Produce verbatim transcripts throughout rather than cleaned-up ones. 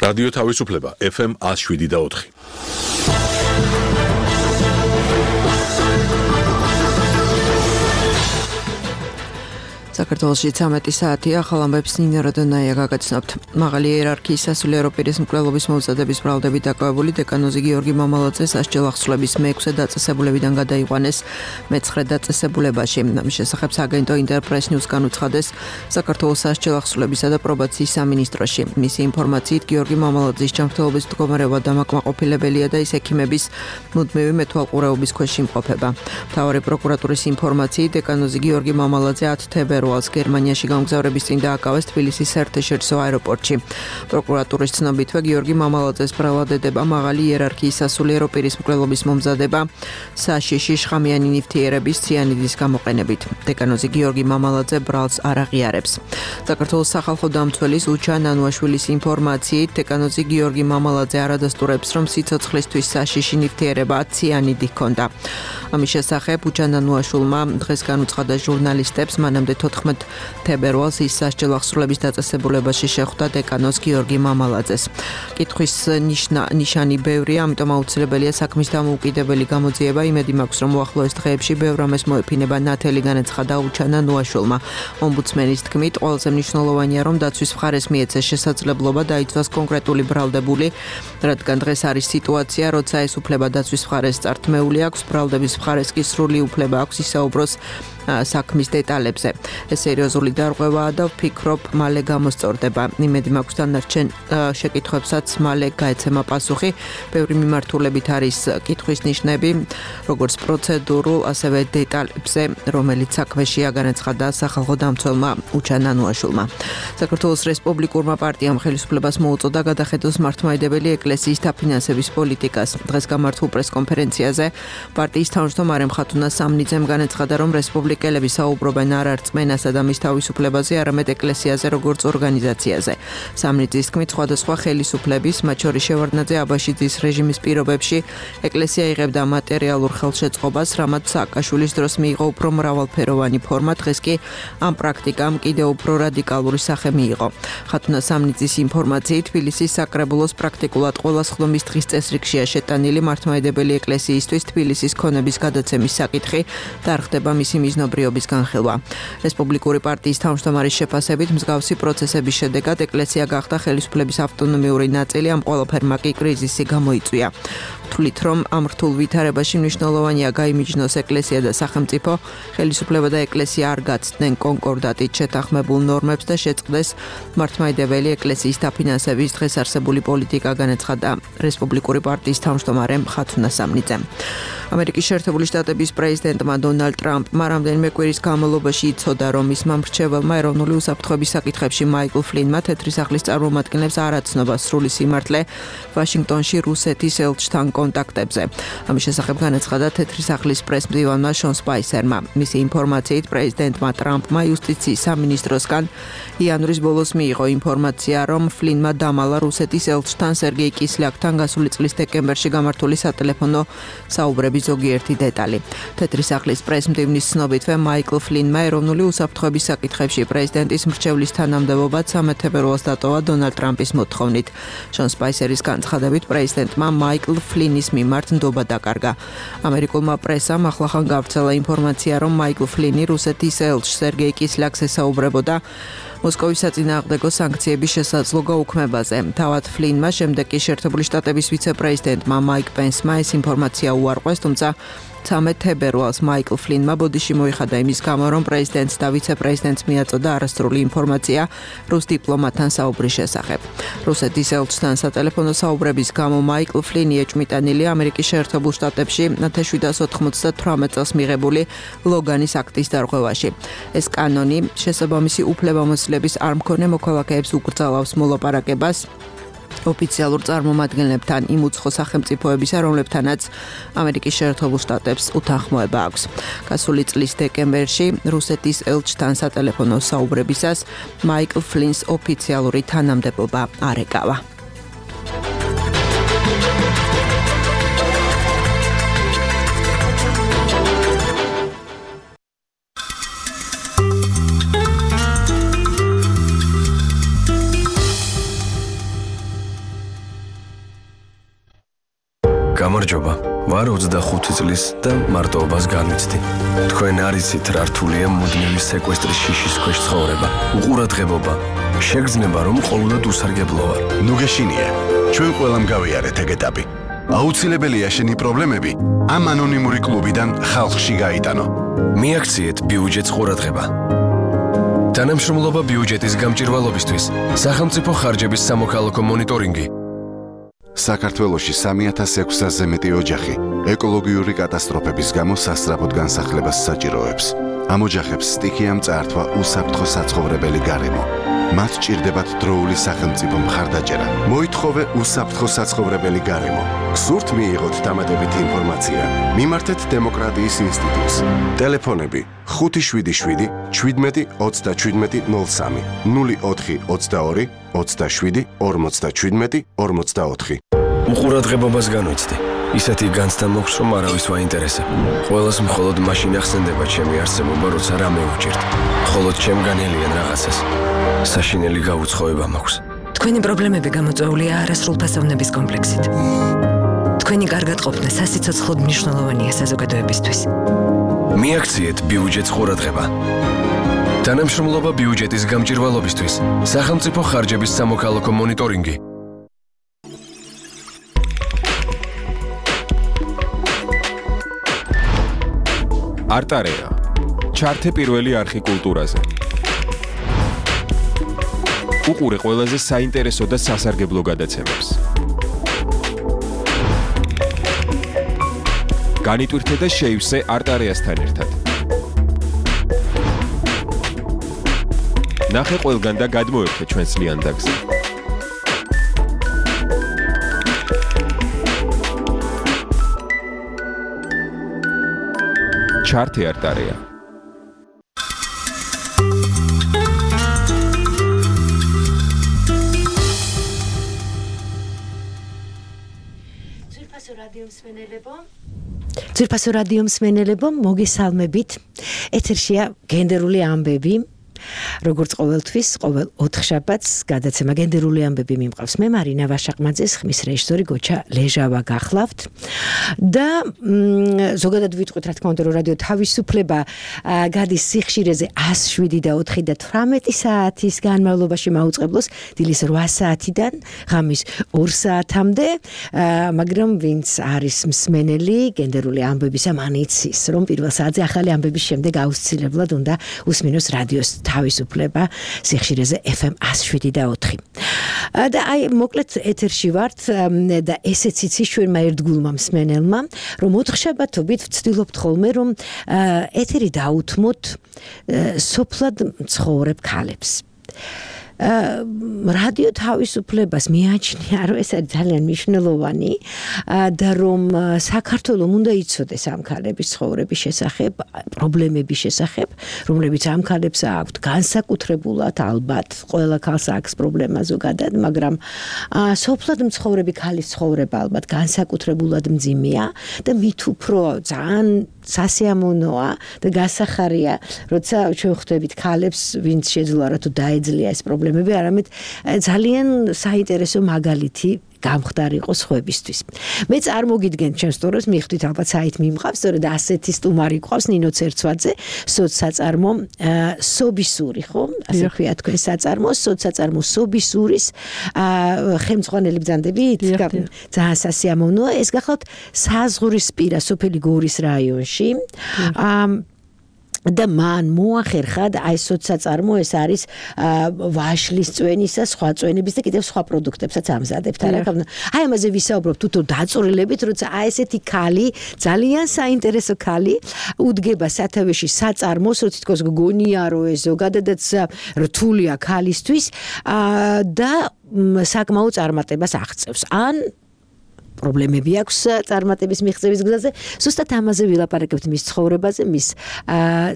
რადიო თავისუფლება ეფ ემ one oh seven და four. საქართველოში ცამეტი საათია, ახალ ამბებს ნინო როდონაია გაგაცნობთ. მაღალი იერარქიის სასულიერო პირის მკვლელობის მომზადების ბრალდებით დაკავებული დეკანოზი გიორგი მამალაძე სასჯელ ახსნების მეექვსე დაწესებულებიდან გადაიყვანეს მეცხრე დაწესებულებაში. ამის შესახებ სააგენტო ინტერპრეს ნიუსგან უცხადეს საქართველოს სასჯელ ახსნებისა და პრობაციის სამინისტროში. მისი ინფორმაციით გიორგი მამალაძის ჯანმრთელობის მდგომარეობა დამაკმაყოფილებელია და ის ექიმების მუდმივი მეთვალყურეობის ქვეშ იმყოფება. მთავარი პროკურატურის ინფორმაციით დეკანოზი გიორგი მამალაძე ათი თებერვალს გერმანიაში გამგზავრების წინ დააკავეს თბილისის საერთაშორისო აეროპორტში. პროკურატურის ცნობითვე გიორგი მამალაძეს ბრალადდება მაღალი იერარქიის სასულიერო პირის მკვლელობის მომზადება საშიში შხამიანი ნივთიერების ციანიდის გამოყენებით. დეკანოზი გიორგი მამალაძე ბრალს არ აღიარებს. საქართველოს სახალხო დამცველის უჩა ნანუაშვილის ინფორმაციით დეკანოზი გიორგი მამალაძე არ ადასტურებს, რომ სიცოცხლისთვის საშიში ნივთიერება ციანიდი ჰქონდა. ამის შესახებ უჩა ნანუაშვილმა დღეს განუცხადა ჟურნალისტებს, მანამდე თოთხმეტ თებერვალს ის სასჯელ ახსნების დაწესებულებაში შეხვდა დეკანოზ გიორგი მამალაძეს. კითხვის ნიშანი ბევრია, ამიტომ აუცილებელია საქმის დამოუკიდებელი გამოძიება. იმედი მაქვს, რომ უახლოეს დღეებში ბევრ რამეს მოეფინება ნათელი, განაცხადა უჩა ნანუაშვილმა. ომბუდსმენის თქმით, ყველაზე მნიშვნელოვანია, რომ დაცვის მხარეს მიეცეს შესაძლებლობა დაიცვას კონკრეტული ბრალდებული, რადგან დღეს არის სიტუაცია, როცა ეს უფლება დაცვის მხარეს წართმეული აქვს, ბრალდების მხარეს კი სრული უფლება აქვს ისაუბროს საქმის დეტალებზე. ეს სერიოზული დარღვევაა და ვფიქრობ, მალე გამოსწორდება. იმედი მაქვს დანარჩენ შეკითხვებსაც მალე გაეცემა პასუხი. ბევრი მიმართულებით არის კითხვის ნიშნები, როგორც პროცედურულ, ასევე დეტალებზე, რომელიც საქმეშია, განაცხადა სახალხო დამცველმა უჩა ნანუაშვილმა. საქართველოს რესპუბლიკურმა პარტიამ ხელისუფლებას მოუწოდა გადახედოს მართლმადიდებელი ეკლესიის დაფინანსების პოლიტიკას. დღეს გამართულ პრესკონფერენციაზე პარტიის თავმჯდომარე მხატუნა სამნიძემ განაცხადა, რომ რესპუბლიკელები საუბრობენ არ არ რწმენასა და მის თავისუფლებაზე, არამედ ეკლესიაზე როგორც ორგანიზაციაზე. სამნიძის თქმით, სხვადასხვა ხელისუფლების, მათ შორის შევარდნაძე აბაშიძის რეჟიმის პირობებში ეკლესია იღებდა მატერიალურ ხელშეწყობას, რამაც სააკაშვილის დროს მიიღო უფრო მრავალფეროვანი ფორმა, დღეს კი ამ პრაქტიკამ კიდევ უფრო რადიკალური სახე მიიღო. ხათუნა სამნიძის ინფორმაციით, თბილისის საკრებულოს პრაქტიკულად ყველა სხდომის დღის წესრიგშია შეტანილი მართლმადიდებელი ეკლესიისთვის თბილისის ქონების გადაცემის საკითხი და არ ხდება მისი მიზნობრიობის განხილვა. რესპუბლიკური პარტიის თავმჯდომარის შეფასებით, მსგავსი პროცესების შედეგად ეკლესია გახდა ხელისუფლების ავტონომიური ნაწილი, ამ ყველაფერმა კი კრიზისი გამოიწვია. თვლით, რომ ამ რთულ ვითარებაში მნიშვნელოვანია გაიმიჯნოს ეკლესია და სახელმწიფო, ხელისუფლება და ეკლესია არ გაცდნენ კონკორდატით შეთანხმებულ ნორმებს და შეწყდეს მართლმადიდებელი ეკლესიის დაფინანსების დღეს არსებული პოლიტიკა, განაცხადა რესპუბლიკური პარტიის თავმჯდომარე ხათუნა სამნიძემ. ამერიკის შეერთებული შტატების პრეზიდენტმა დონალდ ტრამპმა რამდენიმე კვირის განმავლობაში იცოდა, რომ მისმა მრჩეველმა ეროვნული უსაფრთხოების საკითხებში მაიკლ ფლინმა თეთრი სახლის წარმომადგენლებს არ აცნობა სრული სიმართლე ვაშინგტონში რუსეთის ელჩთან კონტაქტებზე. ამის შესახებ განაცხადა თეთრი სახლის პრესმდივანმა შონ სპაისერმა. მისი ინფორმაციით, პრეზიდენტმა ტრამპმა იუსტიციის სამინისტროსგან იანვრის ბოლოს მიიღო ინფორმაცია, რომ ფლინმა დამალა რუსეთის ელჩთან სერგეი კისლიაკთან გასული წლის დეკემბერში გამართული სატელეფონო საუბრების ზოგიერთი დეტალი. თეთრი სახლის პრესმდივნის ცნობითვე მაიკლ ფლინმა ეროვნული უსაფრთხოების საკითხებში პრეზიდენტის მრჩევლის თანამდებობა ცამეტ თებერვალს დატოვა დონალდ ტრამპის მოთხოვნით. შონ სპაისერის განცხადებით, პრეზიდენტმა მაიკლ ფლინის მიმართ ნდობა დაკარგა. ამერიკულმა პრესამ ახლახან გავრცელა ინფორმაცია, რომ მაიკლ ფლინი რუსეთის ელჩს სერგეი კისლიაკს ესაუბრებოდა მოსკოვის საწინააღმდეგო სანქციების შესაძლო გაუქმებაზე. თავად ფლინმა შემდეგ კი შეერთებული შტატების ვიცე-პრეზიდენტმა მაიკ პენსმა ეს ინფორმაცია უარყვეს, თუმცა ცამეტ თებერვალს მაიკლ ფლინმა ბოდიში მოიხადა იმის გამო, რომ პრეზიდენტს და ვიცე-პრეზიდენტს მიაწოდა არასრული ინფორმაცია რუს დიპლომატთან საუბრის შესახებ. რუსეთის ელჩთან სატელეფონო საუბრების გამო მაიკლ ფლინი ეჭვმიტანილია ამერიკის შეერთებულ შტატებში ათას შვიდსათ ოთხმოცდათვრამეტ წელს მიღებული ლოგანის აქტის დარღვევაში. ეს კანონი შესაბამისი უფლებამოსილების არ მქონე მოქალაქეებს უკრძალავს მოლაპარაკებას ოფიციალურ წარმომადგენლებთან იმ უცხო სახელმწიფოებისა, რომლებთანაც ამერიკის შეერთებულ შტატებს უთანხმოება აქვს. გასული წლის დეკემბერში რუსეთის ელჩთან სატელეფონო საუბრებისას მაიკლ ფლინს ოფიციალური თანამდებობა არ ეკავა. გამარჯობა. ვარ ოცდახუთი წლის და მარტოობას განვიცდი. თქვენ არ იცით რა რთულია მუდმივი სეკვესტრის შიშის ქვეშ ცხოვრება. უყურადღებობა. შეგრძნება რომ ყოველდღე უსარგებლო ვარ. ნუ გეშინია. ჩვენ ყველამ გავიარეთ ეგ ეტაპი. აუცილებელია შენი პრობლემები ამ ანონიმური კლუბიდან ხალხში გაიტანო. მიაქციეთ ბიუჯეტს ყურადღება. თანამშრომლობა ბიუჯეტის გამჭირვალობისთვის სახელმწიფო ხარჯების სამოქალაქო მონიტორინგი. საქართველოში სამი ათას ექვსასზე მეტი ოჯახი ეკოლოგიური კატასტროფების გამო სასწრაფოდ განსახლებას საჭიროებს. ამ ოჯახებს სტიქიამ წაართვა უსაფრთხო საცხოვრებელი გარემო. მათ ჭირდებათ დროული სახელმწიფო მხარდაჭერა. მოითხოვე უსაფრთხო საცხოვრებელი გარემო. გსურთ მიიღოთ დამატებითი ინფორმაცია? მიმართეთ დემოკრატიის ინსტიტუტს. ტელეფონები ხუთი შვიდი შვიდი შვიდმეტი ოცდაშვიდმეტი ნულ სამი ნული ოთხი ოცდაორი ოცდაშვიდი ორმოცდაშვიდმეტი ორმოცდაოთხი. უყურადღებობას განვიცდი. ისეთი განცდა მოხს რომ არავის ვაინტერესებ. ყველას მხოლოდ მაშინ ახსენდება ჩემი არსებობა, როცა რამე უჭირთ. მხოლოდ ჩემგანელიან რაღაცას. საშინელი გაუცხოება მაქვს. თქვენი პრობლემები გამოწვეულია არასრულფასოვნების კომპლექსით. თქვენი კარგად ყოფნა სასიცოცხლოდ მნიშვნელოვანია საზოგადოებისთვის. მიაქციეთ ბიუჯეტს ყურადღება. თანამშრომლობა ბიუჯეტის გამჭირვალობისთვის სახელმწიფო ხარჯების სამოქალაქო მონიტორინგი. არტარეა. ჩართე პირველი არხი კულტურაზე. უყურე ყველაზე საინტერესო და სასარგებლო გადაცემებს. განიტვირთე და შეივსე არტარეასთან ერთად. ნახე ყველგან და გადმოერთე ჩვენს ლიანდაგზე. ჩართე არტარეა. ძვირფასო რადიო მსმენელებო, მოგესალმებით. ეთერშია გენდერული ამბები. როგორც ყოველთვის, ყოველ ოთხშაბათს გადაცემა გენდერული ამბები მიმყავს. მე მარინა ვაშაყმაძე, ხმის რეჟისორი გოჩა ლეჟავა გახლავთ. და ზოგადად ვიტყვით, რა თქმა უნდა, რომ რადიო თავისუფლება გადის სიხშირეზე ას შვიდი და ოთხი და თვრამეტი საათის განმავლობაში მაუწყებლოს დილის რვა საათიდან ღამის ორ საათამდე, მაგრამ ვინც არის მსმენელი გენდერული ამბებისა, მან იცის, რომ პირველ საათზე ახალი ამბების შემდეგ აუცილებლად უნდა უსმინოს რადიოს თავისუფლება სიხშირეზე ეფ ემ ას შვიდი და ოთხი. და აი მოკლედ ეთერში ვართ და ესეც იცის ჩვენმა ერთგულმა მსმენელმა, რომ ოთხშაბათობით ვცდილობთ ხოლმე, რომ ეთერი დაუთმოთ სოფლად მცხოვრებ ქალებს. რადიო თავისუფლებას მიაჩნია, რომ ეს არის ძალიან მნიშვნელოვანი და რომ საქართველოს უნდა იცოდეს ამ ქალების ცხოვრების შესახებ, პრობლემების შესახებ, რომლებიც ამ ქალებს აქვთ განსაკუთრებულად, ალბათ ყველა ქალს აქვს პრობლემა ზოგადად, მაგრამ სოფლად მცხოვრები ქალის ცხოვრება ალბათ განსაკუთრებულად მძიმეა და მით უფრო ძალიან სასიამოვნოა და გასახარია, როცა ჩვენ ხვდებით ქალებს, ვინც შეძლო რა თუ დაეძლია ეს პრობლემები, არამედ ძალიან საინტერესო მაგალითი გამხდარი იყო სხვებისთვის. მე წარმოგიდგენთ ჩემს სტორიას, მიხვდით ალბათ საით მიმყავს, სწორედ ասეთი სტუმარი ყავს ნინო ცერცვაძე, სოცსაწარმო სობისური, ხო? ასე ქვია თქვენ საწარმო, სოცსაწარმო სობისურის ხელმძღვანელი ბრძანდებით, ძალიან სასიამოვნოა. ეს გახლავთ საზღვრისპირა სოფელი გორის რაიონში. და მან მოახერხა და აი სოცსაწარმო ეს არის ვაშლის წვენისა, სხვა წვენების და კიდევ სხვა პროდუქტებსაც ამზადებთ. აი ამაზე ვისაუბრობთ თუთო დაწვრილებით, როცა აი ესეთი ქალი, ძალიან საინტერესო ქალი უდგება სათავეში საწარმოს, რო თითქოს გგონია რომ ეს ზოგადადაც რთულია ქალისთვის და საკმაო წარმატებას აღწევს. ან პრობლემები აქვს წარმატების მიღწევის გზაზე. ზუსტად ამაზე ვილაპარაკებთ მის ცხოვრებაზე, მის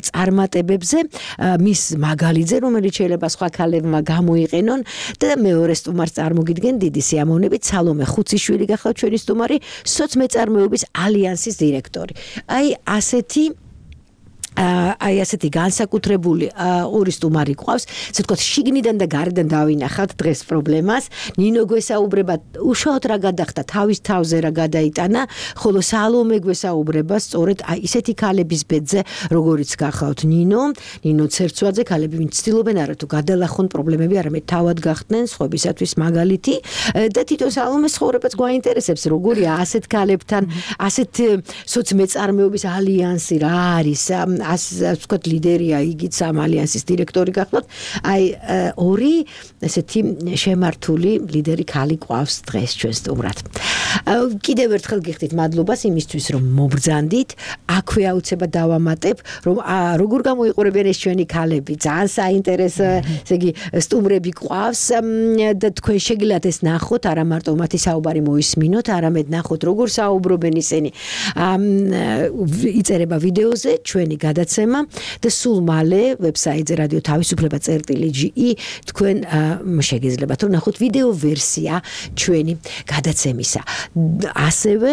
წარმატებებზე, მის მაგალითზე, რომელიც შეიძლება სხვა ქალებმა გამოიყენონ და მეორე სტუმარს წარმოგიდგენ დიდი სიამოვნებით სალომე ხუციშვილი გახლავთ ჩვენი სტუმარი, სოცმეწარმოების ალიანსის დირექტორი. აი ასეთი აი ასეთი განსაკუთრებული ორი სტუმარი გვყავს, ესე ვთქვათ, შიგნიდან და გარედან დავინახავთ დღეს პრობლემას. ნინო გვესაუბრება უშუალოდ რა გადახდა, თავის თავზე რა გადაიტანა, ხოლო სალომე გვესაუბრება სწორედ აი ისეთი ქალების ბედზე, როგორიც გახავთ ნინო, ნინო ცერცვაძე, ქალები ვინც ცდილობენ არა თუ გადალახონ პრობლემები, არამედ თავად გახდნენ სხვებისათვის მაგალითი და თვითონ სალომეს ცხოვრებაც გვაინტერესებს, როგორია ასეთ ქალებთან, ასეთ სოციმეწარმეობის ალიანსი რა არის, ასე ვთქვათ, ლიდერია იგიც ამ ალიანსის დირექტორი გახლავთ. აი ორი ესეთი შემართული ლიდერი ქალი ყავს დღეს ჩვენ სტუმრად. კიდევ ერთხელ გიხდით მადლობას იმისთვის, რომ მობრძანდით, აქვე აუცილებლად დავამატებ, რომ როგორ გამოიყურებიან ეს ჩვენი ქალები, ძალიან საინტერესო, ესე იგი, სტუმრები ყავს და თქვენ შეგიძლიათ ეს ნახოთ, არა მარტო მათი საუბარი მოისმინოთ, არამედ ნახოთ, როგორ საუბრობენ ისინი. იწერება ვიდეოზე ჩვენი გადაცემა და სულ მალე ვებსაიტზე რადიო თავისუფლება წერტილი ჯი ი თქვენ შეგიძლიათ რომ ნახოთ ვიდეო ვერსია ჩვენი გადაცემისა. ასევე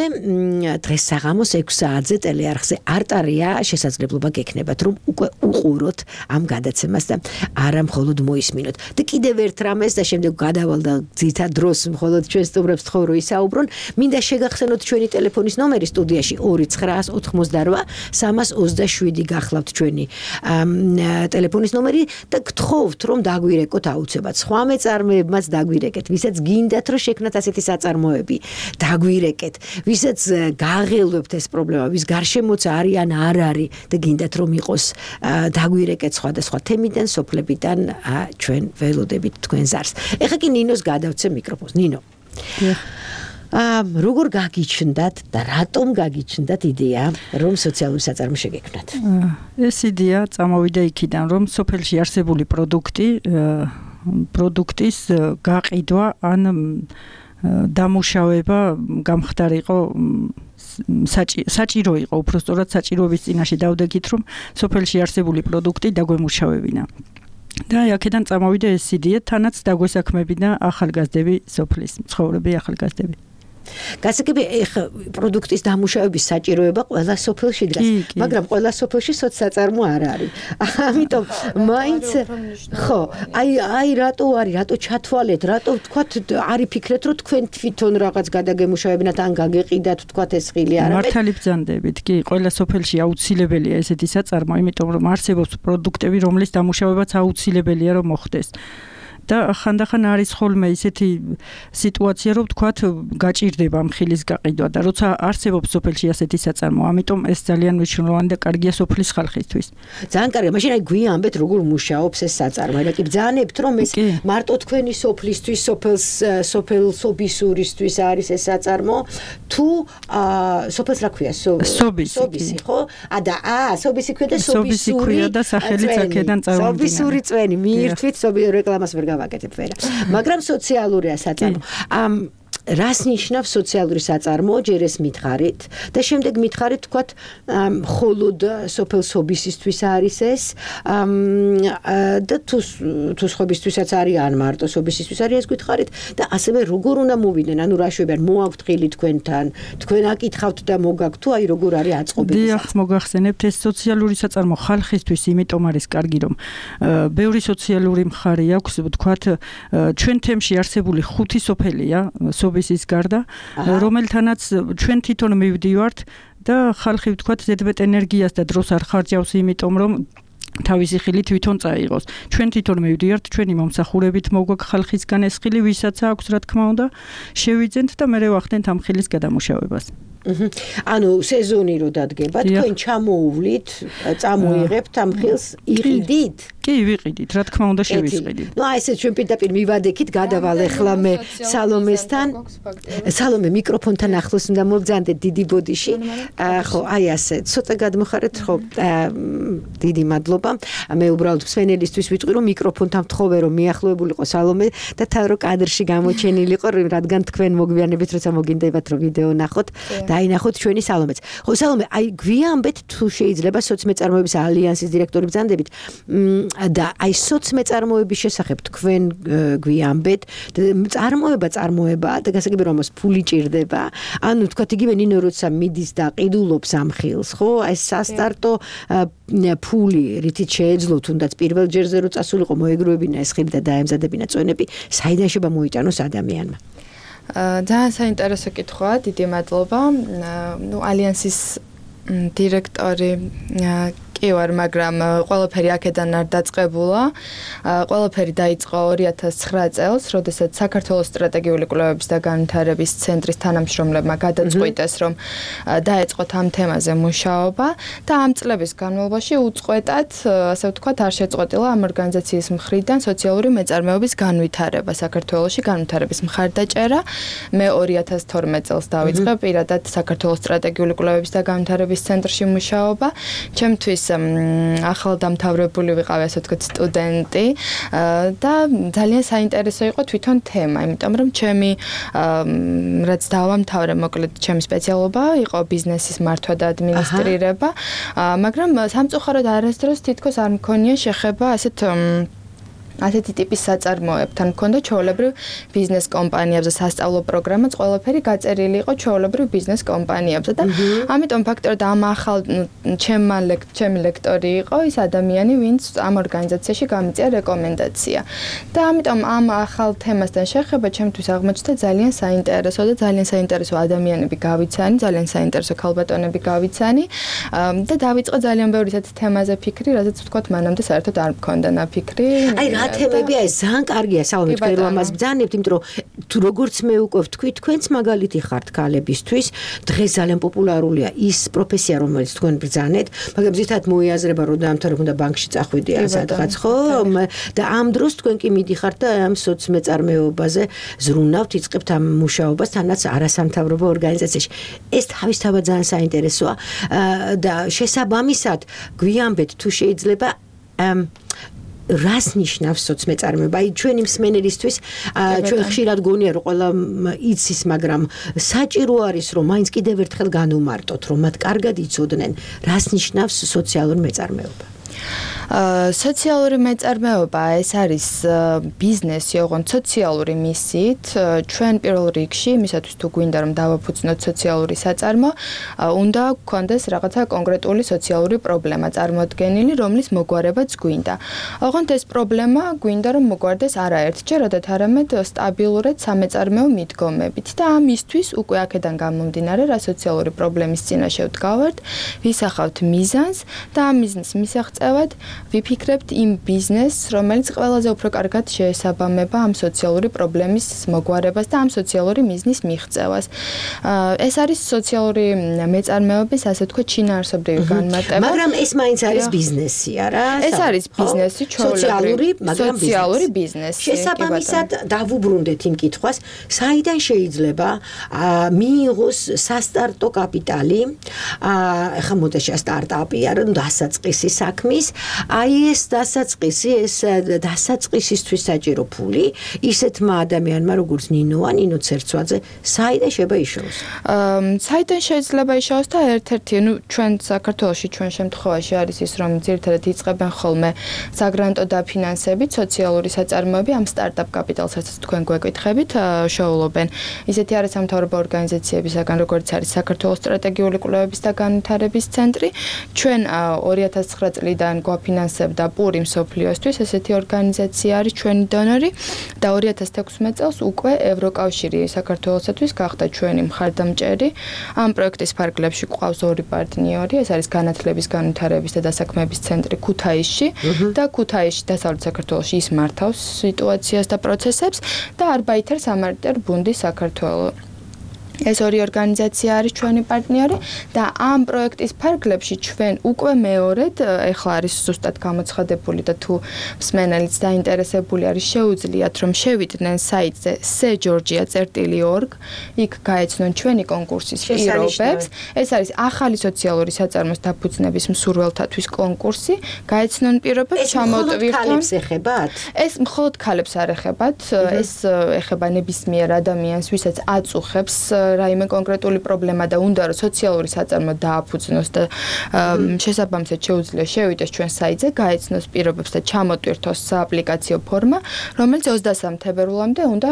დღეს საღამოს ექვსი საათზე ტელეარხზე არტარია შესაძლებლობა გექნებათ რომ უკვე უყუროთ ამ გადაცემას და არა მხოლოდ მოისმინოთ. და კიდევ ერთ რამეს და შემდეგ გადავალ და ძირითად დროს მხოლოდ ჩვენ სტუმრებს თხოვ რომ ისაუბრონ, მინდა შეგახსენოთ ჩვენი ტელეფონის ნომერი სტუდიაში ორი ცხრაას ოთხმოცდარვა სამას ოცდაშვიდი გახლავთ ჩვენი ტელეფონის ნომერი და გთხოვთ რომ დაგვირეკოთ აუცილებლად სხვა მეწარმეებმაც დაგვირეკეთ, ვისაც გინდათ რომ შექმნათ ასეთი საწარმოები, დაგვირეკეთ, ვისაც გააღელვებთ ეს პრობლემა, ვის გარშემოც არიან არ არის და გინდათ რომ იყოს, დაგვირეკეთ სხვადასხვა თემიდან, სოფლებიდან, ჩვენ ველოდებით თქვენ ზარს. ეხლა კი ნინოს გადავცე მიკროფონს. ნინო. როგორ გაგიჩნდათ და რატომ გაგიჩნდათ იდეა, რომ სოციალური საწარმო შეგექმნათ? ეს იდეა წამოვიდა იქიდან, რომ სოფელში არსებული პროდუქტი, პროდუქტის გაყიდვა ან დამუშავება გამხდარიყო საჭირო იყო, უბრალოდ საჭიროების წინაშე დავდეგით, რომ სოფელში არსებული პროდუქტი დაგვემუშავებინა. და აქედან წამოვიდა ეს იდეა, თანაც დაგვესაქმებინა ახალგაზრდები, სოფლის მცხოვრები ახალგაზრდები. გასაგები პროდუქტის დამუშავების საჭიროება ყველა სოფელში დგას, მაგრამ ყველა სოფელში სოციალსაწარმო არ არის. ამიტომ მაინც ხო, აი აი რატო არის, რატო ჩათვალეთ, რატო ვთქვათ, არის ფიქრეთ, რომ თქვენ თვითონ რაღაც გადაგემუშავებინათ ან გაგეყიდათ, ვთქვათ ეს ხილი არა. მართალი ბრძანდებით, კი, ყველა სოფელში აუცილებელია ესეთი საწარმო, იმიტომ რომ არსებობს პროდუქტები, რომლის დამუშავებაც აუცილებელია რომ მოხდეს. და ხანდახან არის ხოლმე ისეთი სიტუაცია, რომ თქვათ გაჭირდება მხილის გაყიდვა და როცა არსებობს სოფელში ასეთი საწარმო, ამიტომ ეს ძალიან მნიშვნელოვანი და კარგია სოფლის ხალხისთვის. ძალიან კარგია, მაშინ აი გვიანბეთ როგორ მუშაობს ეს საწარმო. აი კი ბძანებთ რომ ეს მარტო თქვენი სოფლისთვის, სოფელს, სოფელ სობისურისთვის არის ეს საწარმო, თუ სოფელს რა ქვია? სობისი, სობისი, ხო? ა და ა, სობისი ქვია და სობისური და სახელიც აქედან წარმოვიდგინე. სობისური წვენი, მიირთვით სობი რეკლამას ვერ გავაკეთებ ვერა. მაგრამ სოციალურია საწარმო. ამ რას ნიშნავს სოციალური საწარმო? ჯერ ეს მითხარით და შემდეგ მითხარით თქვათ მხოლოდ სოფელ სობისისთვის არის ეს და თუ თუ სხვებისთვისაც არის ან მარტო სობისისთვის არის ეს გითხარით და ასევე როგორ უნდა მოვიდნენ, ანუ რა შვებიან, მოაქვთ ხილი თქვენთან, თქვენ აკითხავთ და მოგაქვთ თუ აი როგორ არის აწყობილი? დიახ, მოგახსენებთ, ეს სოციალური საწარმო ხალხისთვის იმიტომ არის კარგი, რომ ბევრი სოციალური მხარე აქვს, ვთქვათ, ჩვენ თემში არსებული ხუთი სოფელია სობისის გარდა, რომელთანაც ჩვენ თვითონ მივდივართ და ხალხი ვთქვათ ზედმეტ ენერგიას და დროს არ ხარჯავს, იმიტომ რომ თავისი ხილი თვითონ წაიღოს. ჩვენ თვითონ მივდივართ, ჩვენი მომსახურებით მოგვაქვს ხალხისგან ეს ხილი, ვისაც აქვს, რა თქმა უნდა, შევიძენთ და მერე ვახდენთ ამ ხილის გადამუშავებას. ანუ სეზონი რო დადგება, თქვენ ჩამოუვლით, წამოიღებთ ამ ხილს, იყიდით? კი, ვიყიდით, რა თქმა უნდა შევისყიდით. ნუ აი ესე ჩვენ პირდაპირ მივადექით, გადავალ ახლა მე სალომესთან. სალომე მიკროფონთან ახლოს უნდა მოგძანდეთ დიდი ბოდიში. ხო, აი ასე, ცოტა გადმოხარეთ, ხო, დიდი მადლობა. მე უბრალოდ მსვენელისთვის ვიტყვი, რომ მიკროფონთან ვთხოვე, რომ მიახლოებულიყო სალომე და თან რო კადრში გამოჩენილიყო, რადგან თქვენ მოგვიანებით როცა მოგინდებათ რომ ვიდეო ნახოთ და დაინახოთ ჩვენი სალომეც. ხო სალომე, აი გვიანბეთ თუ შეიძლება სოციმეწარმოების ალიანსის დირექტორი ბრძანდებით და აი სოციმეწარმოების შესახებ თქვენ გვიანბეთ, წარმოება წარმოება და გასაგებია რომ ფული ჭირდება. ანუ თქვა იგივე ნინო როცა მიდის და ყიდულობს ამ ხილს, ხო? აი სასტარტო ფული რითიც შეეძლო თუნდაც პირველ ჯერზე რო წასულიყო მოეგროვებინა ეს ხილი და დაემზადებინა წონები, საიდან შეიძლება მოიტანოს ადამიანმა? ძალიან საინტერესო კითხვაა, დიდი მადლობა. ნუ ალიანსის დირექტორი კი ვარ, მაგრამ ყველაფერი აქედან არ დაწყებულა. ყველაფერი დაიწყო ორი ათას ცხრა წელს, როდესაც საქართველოს სტრატეგიული კვლევების და განვითარების ცენტრის თანამშრომლებმა გადაწყვიტეს, რომ დაეწყოთ ამ თემაზე მუშაობა და ამ წლების განმავლობაში უწყვეტად, ასე ვთქვათ, არ შეწყვეტილა ამ ორგანიზაციის მხრიდან სოციალური მეწარმეობის განვითარება საქართველოში, განვითარების მხარდაჭერა. მე ორი ათას თორმეტ წელს დავიწყე პირადად საქართველოს სტრატეგიული კვლევების და განვითარების ცენტრში მუშაობა. ჩემთვის ახალდამთავრებული ვიყავი, ასე ვთქვათ, სტუდენტი და ძალიან საინტერესო იყო თვითონ თემა, იმიტომ რომ ჩემი რაც დავამთავრე, მოკლედ ჩემი სპეციალობა იყო ბიზნესის მართვა და ადმინისტრირება, მაგრამ სამწუხაროდ არასდროს თითქოს არ მქონია შეხება ასეთ ასეთი ტიპის საწარმოებთან. მქონდა ჩვეულებრივ ბიზნეს კომპანიებზე სასწავლო პროგრამაც, ყველაფერი გაწერილი იყო ჩვეულებრივ ბიზნეს კომპანიებზე და ამიტომ ფაქტორად ამ ახალ ჩემმა ჩემი ლექტორი იყო ის ადამიანი, ვინც ამ ორგანიზაციაში გამიწია რეკომენდაცია. და ამიტომ ამ ახალ თემასთან შეხება ჩემთვის აღმოჩნდა ძალიან საინტერესო და ძალიან საინტერესო ადამიანები გავიცანი, ძალიან საინტერესო ქალბატონები გავიცანი და დავიწყე ძალიან ბევრი ასეთ თემაზე ფიქრი, რადგან ვთქვათ, მანამდე საერთოდ არ მქონდა ნაფიქრი. აი რა თემებია ეს? ძალიან კარგია სალომე, თქვენ რომ ამას ბძანებთ, იმიტომ რომ თუ როგორც მე უკვე ვთქვი, თქვენც მაგალითი ხართ ქალებისთვის, დღეს ძალიან პოპულარულია ის პროფესია, რომელიც თქვენ ბძანეთ, მაგრამ ზუსტად მოიაზრება რომ დაამთავრებ უნდა ბანკში წახვიდე ან სადღაც, ხო? და ამ დროს თქვენ კი მიდიხართ და ამ სოციმეწარმეობაზე ზრუნავთ, იწყებთ ამ მუშაობას თანაც არასამთავრობო ორგანიზაციაში. ეს თავისთავად ძალიან საინტერესოა და შესაბამისად გვიანბეთ თუ შეიძლება რას ნიშნავს სოციმეწარმეობა? აი ჩვენი მსმენელისთვის ჩვენ ხშირად გონია რომ ყველა იცის, მაგრამ საჭირო არის რომ მაინც კიდევ ერთხელ განუმარტოთ, რომ მათ კარგად იცოდნენ რას ნიშნავს სოციალური მეწარმეობა. სოციალური მეწარმეობა ეს არის ბიზნესი, ოღონდ სოციალური მისიით. ჩვენ პირველ რიგში, იმისათვის თუ გვინდა რომ დავაფუძნოთ სოციალური საწარმო, უნდა გქონდეს რაღაცა კონკრეტული სოციალური პრობლემა წარმოდგენილი, რომლის მოგვარებაც გვინდა. ოღონდ ეს პრობლემა გვინდა რომ მოგვარდეს არა ერთჯერადად, არამედ სტაბილურად სამეწარმეო მიდგომებით და ამისთვის უკვე აქედან გამომდინარე, რა სოციალური პრობლემის წინაშე ვდგავართ, ვისახავთ მიზანს და ამ მიზნის მისაღწევად ვიფიქრებთ იმ ბიზნესს, რომელიც ყველაზე უფრო კარგად შეესაბამება ამ სოციალური პრობლემის მოგვარებას და ამ სოციალური მიზნის მიღწევას. ეს არის სოციალური მეწარმეობის, ასე ვთქვათ, შინაარსობრივი განმარტება. მაგრამ ეს მაინც არის ბიზნესი, არა? ეს არის ბიზნესი, სოციალური, მაგრამ სოციალური ბიზნესი. შესაბამისად დავუბრუნდეთ იმ კითხვას, საიდან შეიძლება მიიღოს სასტარტო კაპიტალი, ახლა მოდაშა სტარტაპი არა, დასაწყისი საქმის, აი ეს დასაწყისი, ეს დასაწყისისთვის საჭირო ფული ისეთმა ადამიანმა როგორც ნინოა, ნინო ცერცვაძე, საიდან შეიძლება იშოვოს? საიდან შეიძლება იშოვოს და ერთ-ერთი, ნუ ჩვენ საქართველოში ჩვენ შემთხვევაში არის ის, რომ ძირითადად იწყებენ ხოლმე საგრანტო დაფინანსებით სოციალური საწარმოები ამ სტარტაპ კაპიტალს, რასაც თქვენ გვეკითხებით, შოულობენ ისეთი არასამთავრობო ორგანიზაციებისაგან, როგორც არის საქართველოს სტრატეგიული კვლევების და განვითარების ცენტრი. ჩვენ ორი ათას ცხრა წლიდან გვაფინანსებდა პური მსოფლიოსთვის, ესეთი ორგანიზაცია არის ჩვენი დონორი და ორი ათას თექვსმეტ წელს უკვე ევროკავშირი საქართველოსთვის გახდა ჩვენი მხარდამჭერი. ამ პროექტის ფარგლებში გვყავს ორი პარტნიორი, ეს არის განათლების, განვითარების და დასაქმების ცენტრი ქუთაისში და ქუთაისში დასავლეთ საქართველოში ის მართავს სიტუაციას და პროცესებს და არბაითერ სამარტერ ბუნდი საქართველოს. ეს ორი ორგანიზაცია არის ჩვენი პარტნიორი და ამ პროექტის ფარგლებში ჩვენ უკვე მეორედ, ეხლა არის ზუსტად გამოცხადებული და თუ მსმენელიც დაინტერესებული არის, შეუძლიათ რომ შევიდნენ საიტზე სე ჯორჯია წერტილი ორგ, იქ გაეცნონ ჩვენი კონკურსის პირობებს. ეს არის ახალი სოციალური საწარმოს დაფუძნების მსურველთათვის კონკურსი, გაეცნონ პირობებს, ჩამოტვირთონ. ეს ეხებათ? ეს მხოლოდ ქალებს არ ეხებათ, ეს ეხება ნებისმიერ ადამიანს, ვისაც აწუხებს რაიმე კონკრეტული პრობლემა და უნდა რომ სოციალური საწარმო დააფუძნოს და შესაბამისად შეუძლია შევიდეს ჩვენ საიტზე, გაეცნოს პირობებს და ჩამოტვირთოს სააპლიკაციო ფორმა, რომელიც ოცდასამ თებერვლამდე უნდა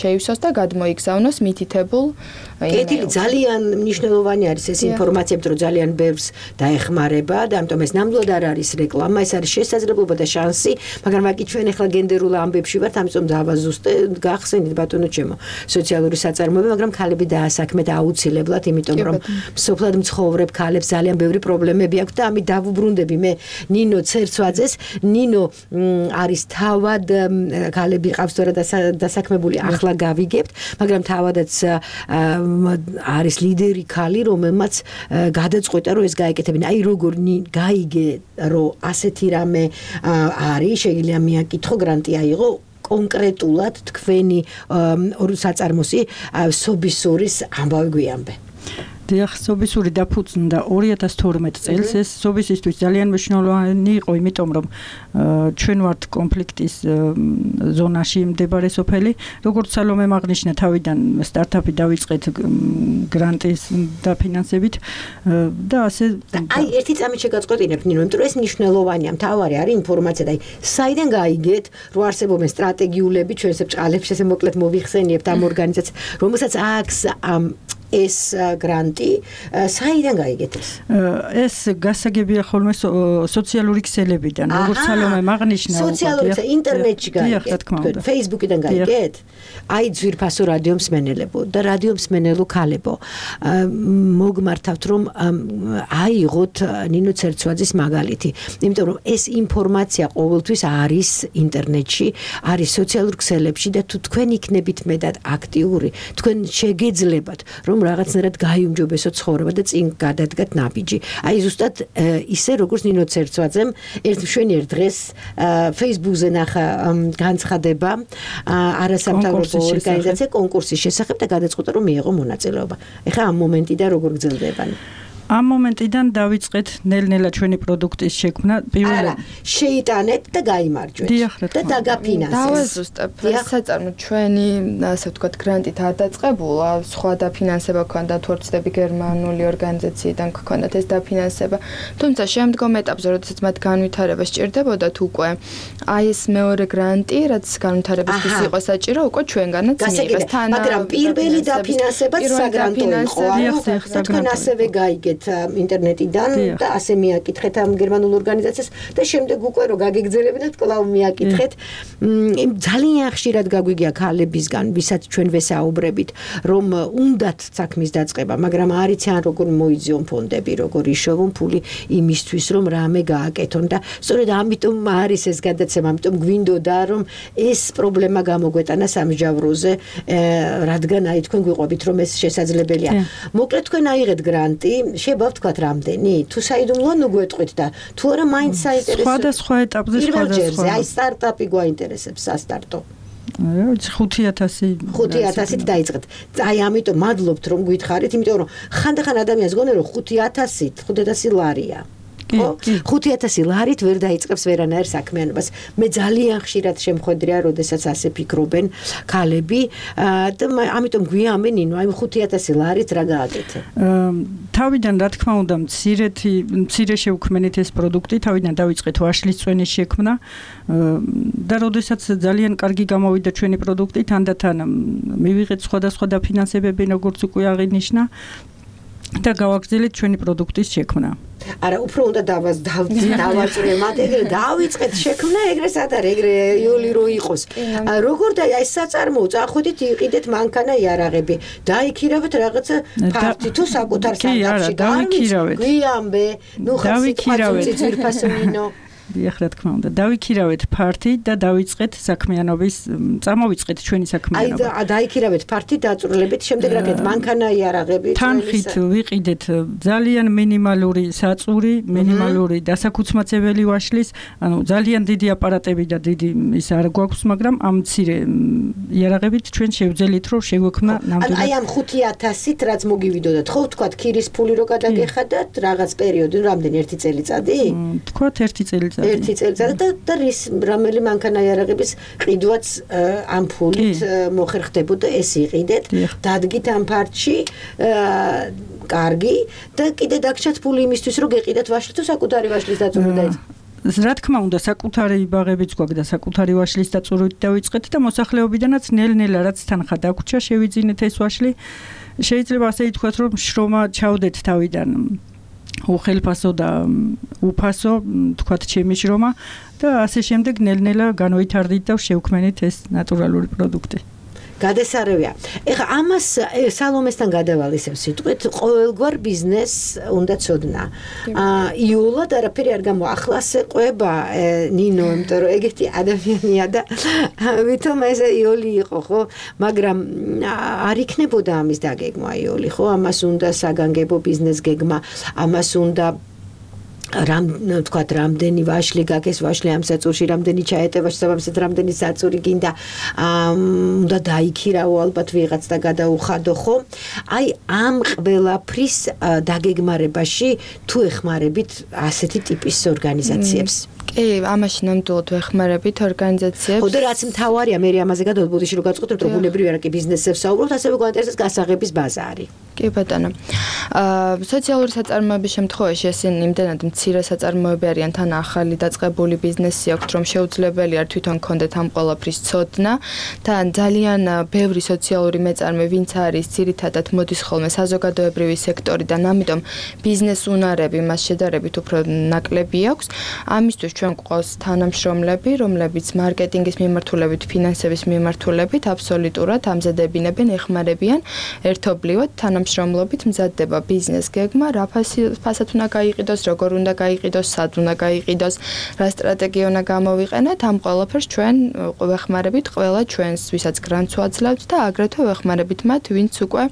შეივსოს და გადმოიგზავნოს მითითებულ კეთილი ძალიან მნიშვნელოვანი არის ეს ინფორმაცია, რომ ძალიან ბევრს დაეხმარება და ამიტომ ეს ნამდვილად არ არის რეკლამა, ეს არის შესაძლებლობა და შანსი, მაგრამ აქ ჩვენ ახლა გენდერულ ამბებში ვართ, ამიტომ დავაზუსტე, გახსენით ბატონო ჩემო, სოციალური საწარმოები, მაგრამ ქალები დაასაქმეთ აუცილებლად, იმიტომ რომ სოფლად მცხოვრებ ქალებს ძალიან ბევრი პრობლემები აქვს და ამით დავუბრუნდები მე ნინო ცერცვაძეს. ნინო არის თავად ქალები ყავს თორე დასაქმებული, ახლა გავიგებთ, მაგრამ თავადაც არის ლიდერი ქალი, რომელმაც გადაწყვეტა რომ ეს გაეკეთებინა. აი როგორ გაიგე რომ ასეთი რამე არის, შეიძლება მიაკითხო, გრანტი აიღო კონკრეტულად თქვენი საწარმოსი სობისურის ამბავი გვიანბე. დიახ, სობისური დაფუძნდა ორი ათას თორმეტ წელს. ეს სობისისთვის ძალიან მნიშვნელოვანი იყო, იმიტომ რომ ჩვენ ვართ კონფლიქტის ზონაში მდებარე სოფელი. როგორც სალომემ აღნიშნა, თავიდან სტარტაპი დავიწყეთ გრანტის დაფინანსებით და ასე. აი, ერთი წამით შეგაწყვეტინებთ, ნინო, იმიტომ რომ ეს მნიშვნელოვანია, მთავარი არის ინფორმაცია და აი, საიდან გაიგეთ, რომ არსებობენ სტრატეგიულები, ჩვენს ბჭყალებს ესე მოკლედ მოვიხსენიებთ ამ ორგანიზაციას, რომელსაც აქვს ამ ეს გრანტი, საიდან გაიგეთ ეს? ეს გასაგებია ხოლმე სოციალური ქსელებიდან, როგორც სალომემ აღნიშნა. სოციალური ინტერნეტში გაიგეთ, Facebook-იდან გაიგეთ? აი ძვირფასო რადიო მსმენელებო და რადიო მსმენელო ქალებო, მოგმართავთ რომ აიღოთ ნინო ცერცვაძის მაგალითი, იმიტომ რომ ეს ინფორმაცია ყოველთვის არის ინტერნეტში, არის სოციალურ ქსელებში და თუ თქვენ იქნებით მეტად აქტიური, თქვენ შეგეძლებათ რომ რაღაცნაირად გაიუმჯობესო ცხოვრება და წინ გადადგათ ნაბიჯი. აი ზუსტად ისე როგორც ნინო ცერცვაძემ ერთ მშვენიერ დღეს Facebook-ზე ნახა განცხადება არასამთავრობო ორგანიზაცია კონკურსის შესახებ და გადაწყვეტა რომ მიიღო მონაწილეობა. ეხლა ამ მომენტიდან როგორ გრძელდება? ამ მომენტიდან დავიწყეთ ნელ-ნელა ჩვენი პროდუქტის შექმნა. პირველად შეიტანეთ და გაიმარჯვეთ და დაგაფინანსეთ. დავაზუსტებ, საწარმო ჩვენი, ასე ვთქვათ, გრანტით არ დაწყებულა, სხვა დაფინანსება ჰქონდა, თუ არ ვცდები გერმანული ორგანიზაციიდან ჰქონდათ ეს დაფინანსება. თუმცა შემდგომ ეტაპზე, როდესაც მათ განვითარება სჭირდებოდათ უკვე, აი ეს მეორე გრანტი, რაც განვითარებისთვის იყო საჭირო, უკვე ჩვენგანაც მიიღეს. მაგრამ პირველი დაფინანსებაც საგრანტო იყო, ანუ თქვენ ასევე გაიგეთ ინტერნეტიდან და ასე მიაკითხეთ ამ გერმანულ ორგანიზაციას და შემდეგ უკვე რომ გაგეგძელებინათ კლავ მიაკითხეთ. ძალიან ხშირად გაგვიგია ქალებისგან, ვისაც ჩვენ ვესაუბრებით, რომ უნდათ საქმის დაწყება, მაგრამ არ იციან როგორ მოიძიონ ფონდები, როგორ იშოვონ ფული იმისთვის, რომ რამე გააკეთონ და სწორედ ამიტომ არის ეს გადაცემა, ამიტომ გვინდოდა რომ ეს პრობლემა გამოგვეტანა სამსჯავროზე, რადგან აი თქვენ გვიყვებით რომ ეს შესაძლებელია. მოკლედ თქვენ აიღეთ გრანტი, შეება ვთქვათ რამდენი, თუ საიდუმლოა ნუ გვეტყვით და თუ არა მაინც საინტერესო. სხვადასხვა ეტაპზე სხვადასხვა. აი სტარტაპი გვაინტერესებს, სასტარტო. ხუთი ათასი ხუთი ათასით დაიწყეთ. აი ამიტომ მადლობთ რომ გითხარით, იმიტომ რომ ხანდახან ადამიანს გონე რომ ხუთი ათასით, ხუთი ათასი ლარია. ხუთი ათასი ლარით ვერ დაიწყებს ვერანაირ საქმიანობას. მე ძალიან ხშირად შემხვედრია, როდესაც ასე ფიქრობენ ქალები და ამიტომ გვიამენ, ნინო, აი ხუთი ათასი ლარით რა გააკეთე? თავიდან რა თქმა უნდა, მცირეთი, მცირე შევქმნით ეს პროდუქტი, თავიდან დავიწყეთ ვაშლის წვენის შექმნა და როდესაც ძალიან კარგი გამოვიდა ჩვენი პროდუქტი, თანდათან მივიღეთ სხვადასხვა დაფინანსებები, როგორც უკვე აღინიშნა და გავაგრძელეთ ჩვენი პროდუქტის შექმნა. არა, უფრო უნდა დავას დავაწვე მათ, ეგრე დავიწყეთ შექმნა, ეგრე სად არის, ეგრე იოლი რო იყოს. როგორ და აი საწარმოო, წახვიდით, იყიდეთ მანქანა იარაღები, დაიქირავეთ რაღაცა ფარტი თუ საკუთარ სანდაფში. დავიქირავეთ. გვიამბე, ნუ დავიქირავეთ ძვირფასონინო. დიახ, რა თქმა უნდა, დავიქირავეთ ფარტი და დავიწყეთ საქმიანობის, წამოვიწყეთ ჩვენი საქმიანობა. აი დაიქირავეთ ფარტი, დაწვრილებით, შემდეგ რაკეთ მანქანა იარაღები. თანხით ვიყიდეთ ძალიან მინიმალური საწური, მინიმალური დასაქუცმაცებელი ვაშლის, ანუ ძალიან დიდი აპარატები და დიდი ის არ გვაქვს, მაგრამ ამ მცირე იარაღებით ჩვენ შევძელით, რომ შეგვექმნა ნამდვილად. აი ამ ხუთი ათასით რაც მოგივიდოდათ, ხო ვთქვათ, ქირის ფული რო გადაგეხადათ, რაღაც პერიოდი, რამდენი ერთი წელიწადი? ვთქვათ, ერთი წელიწადი. წელიწადი. ერთი წელიწადი და და რის რომელი მანქანაიარაღების ყიდვაც ამ ფულით მოხერხდებოდა ეს იყიდეთ, დადგით ამ ფარჩი კარგი და კიდე დაგჭათ ფული იმისთვის რომ გეყიდათ ვაშლი თუ საკუთარი ვაშლის დაწურვა დაიწყოთ. რა თქმა უნდა, საკუთარი ბაღებიც გვაქვს და საკუთარი ვაშლის დაწურვით დავიწყეთ და მოსახლეობიდანაც ნელ-ნელა რაც თანხა დაგვრჩა, შევიძინეთ ეს ვაშლი. შეიძლება ასე ითქვათ, რომ შრომა ჩავდეთ თავიდან უხელფასო და უფასო, თქვათ ჩემი შრომა და ასე შემდეგ ნელ-ნელა განვითარდით და შევქმნით ეს ნატურალური პროდუქტი. გადასარევია. ეხლა ამას სალომესთან გადავალისებ სიტყვით, ყოველგვარ ბიზნესს უნდა ცოდნა. აა იულად არაფერი არ გამოახლასე ყვება ნინო, იმიტომ რომ ეგეთი ადამიანია და ვითომ ეს იოლი იყო, ხო? მაგრამ არ იქნებოდა ამის დაგეგმა იოლი, ხო? ამას უნდა საგანგებო ბიზნეს გეგმა, ამას უნდა რამ თქვათ რამდენი ვაშლი გაქვს ვაშლი ამ საწურში რამდენი ჩაეტევა შესაბამისად რამდენი საწური გინდა უნდა დაიქირავო ალბათ ვიღაც და გადაუხადო ხო აი ამ ყველაფრის დაგეგმარებაში თუ ეხმარებით ასეთი ტიპის ორგანიზაციებს კი, ამაში ნამდვილად ვეხმარებით ორგანიზაციებს. ხო და რაც მთავარია, მე ამაზე გადავბუდიში რომ გაწყვეტებთ, რომ ბუნებრივი არა კი ბიზნესებს საუბრობთ, ასევე გვაინტერესებს გასაღების ბაზარი. კი ბატონო. აა სოციალური საწარმოების შემთხვევაში ესენი იმდენად მცირე საწარმოები არიან, თან ახალი დაწყებული ბიზნესი აქვთ, რომ შეუძლებელია თვითონ კონდეთ ამ ყველაფრის ცოდნა. თან ძალიან ბევრი სოციალური მეწარმე, ვინც არის ძირითადად მოდის ხოლმე საზოგადოებრივი სექტორიდან, ამიტომ ბიზნეს უნარები მას შედარებით უფრო ნაკლები აქვს. ამისთვის ჩვენ გვყავს თანამშრომლები, რომლებიც მარკეტინგის მიმართულებით, ფინანსების მიმართულებით აბსოლუტურად ამზადებინებენ, ეხმარებიან ერთობლივად თანამშრომლობით მზადდება ბიზნეს გეგმა, რა ფასად უნდა გაიყიდოს, როგორ უნდა გაიყიდოს, სად უნდა გაიყიდოს, რა სტრატეგია უნდა გამოვიყენოთ, ამ ყველაფერს ჩვენ ვეხმარებით ყველა ჩვენს, ვისაც გრანტს ვაძლევთ და აგრეთვე ვეხმარებით მათ, ვინც უკვე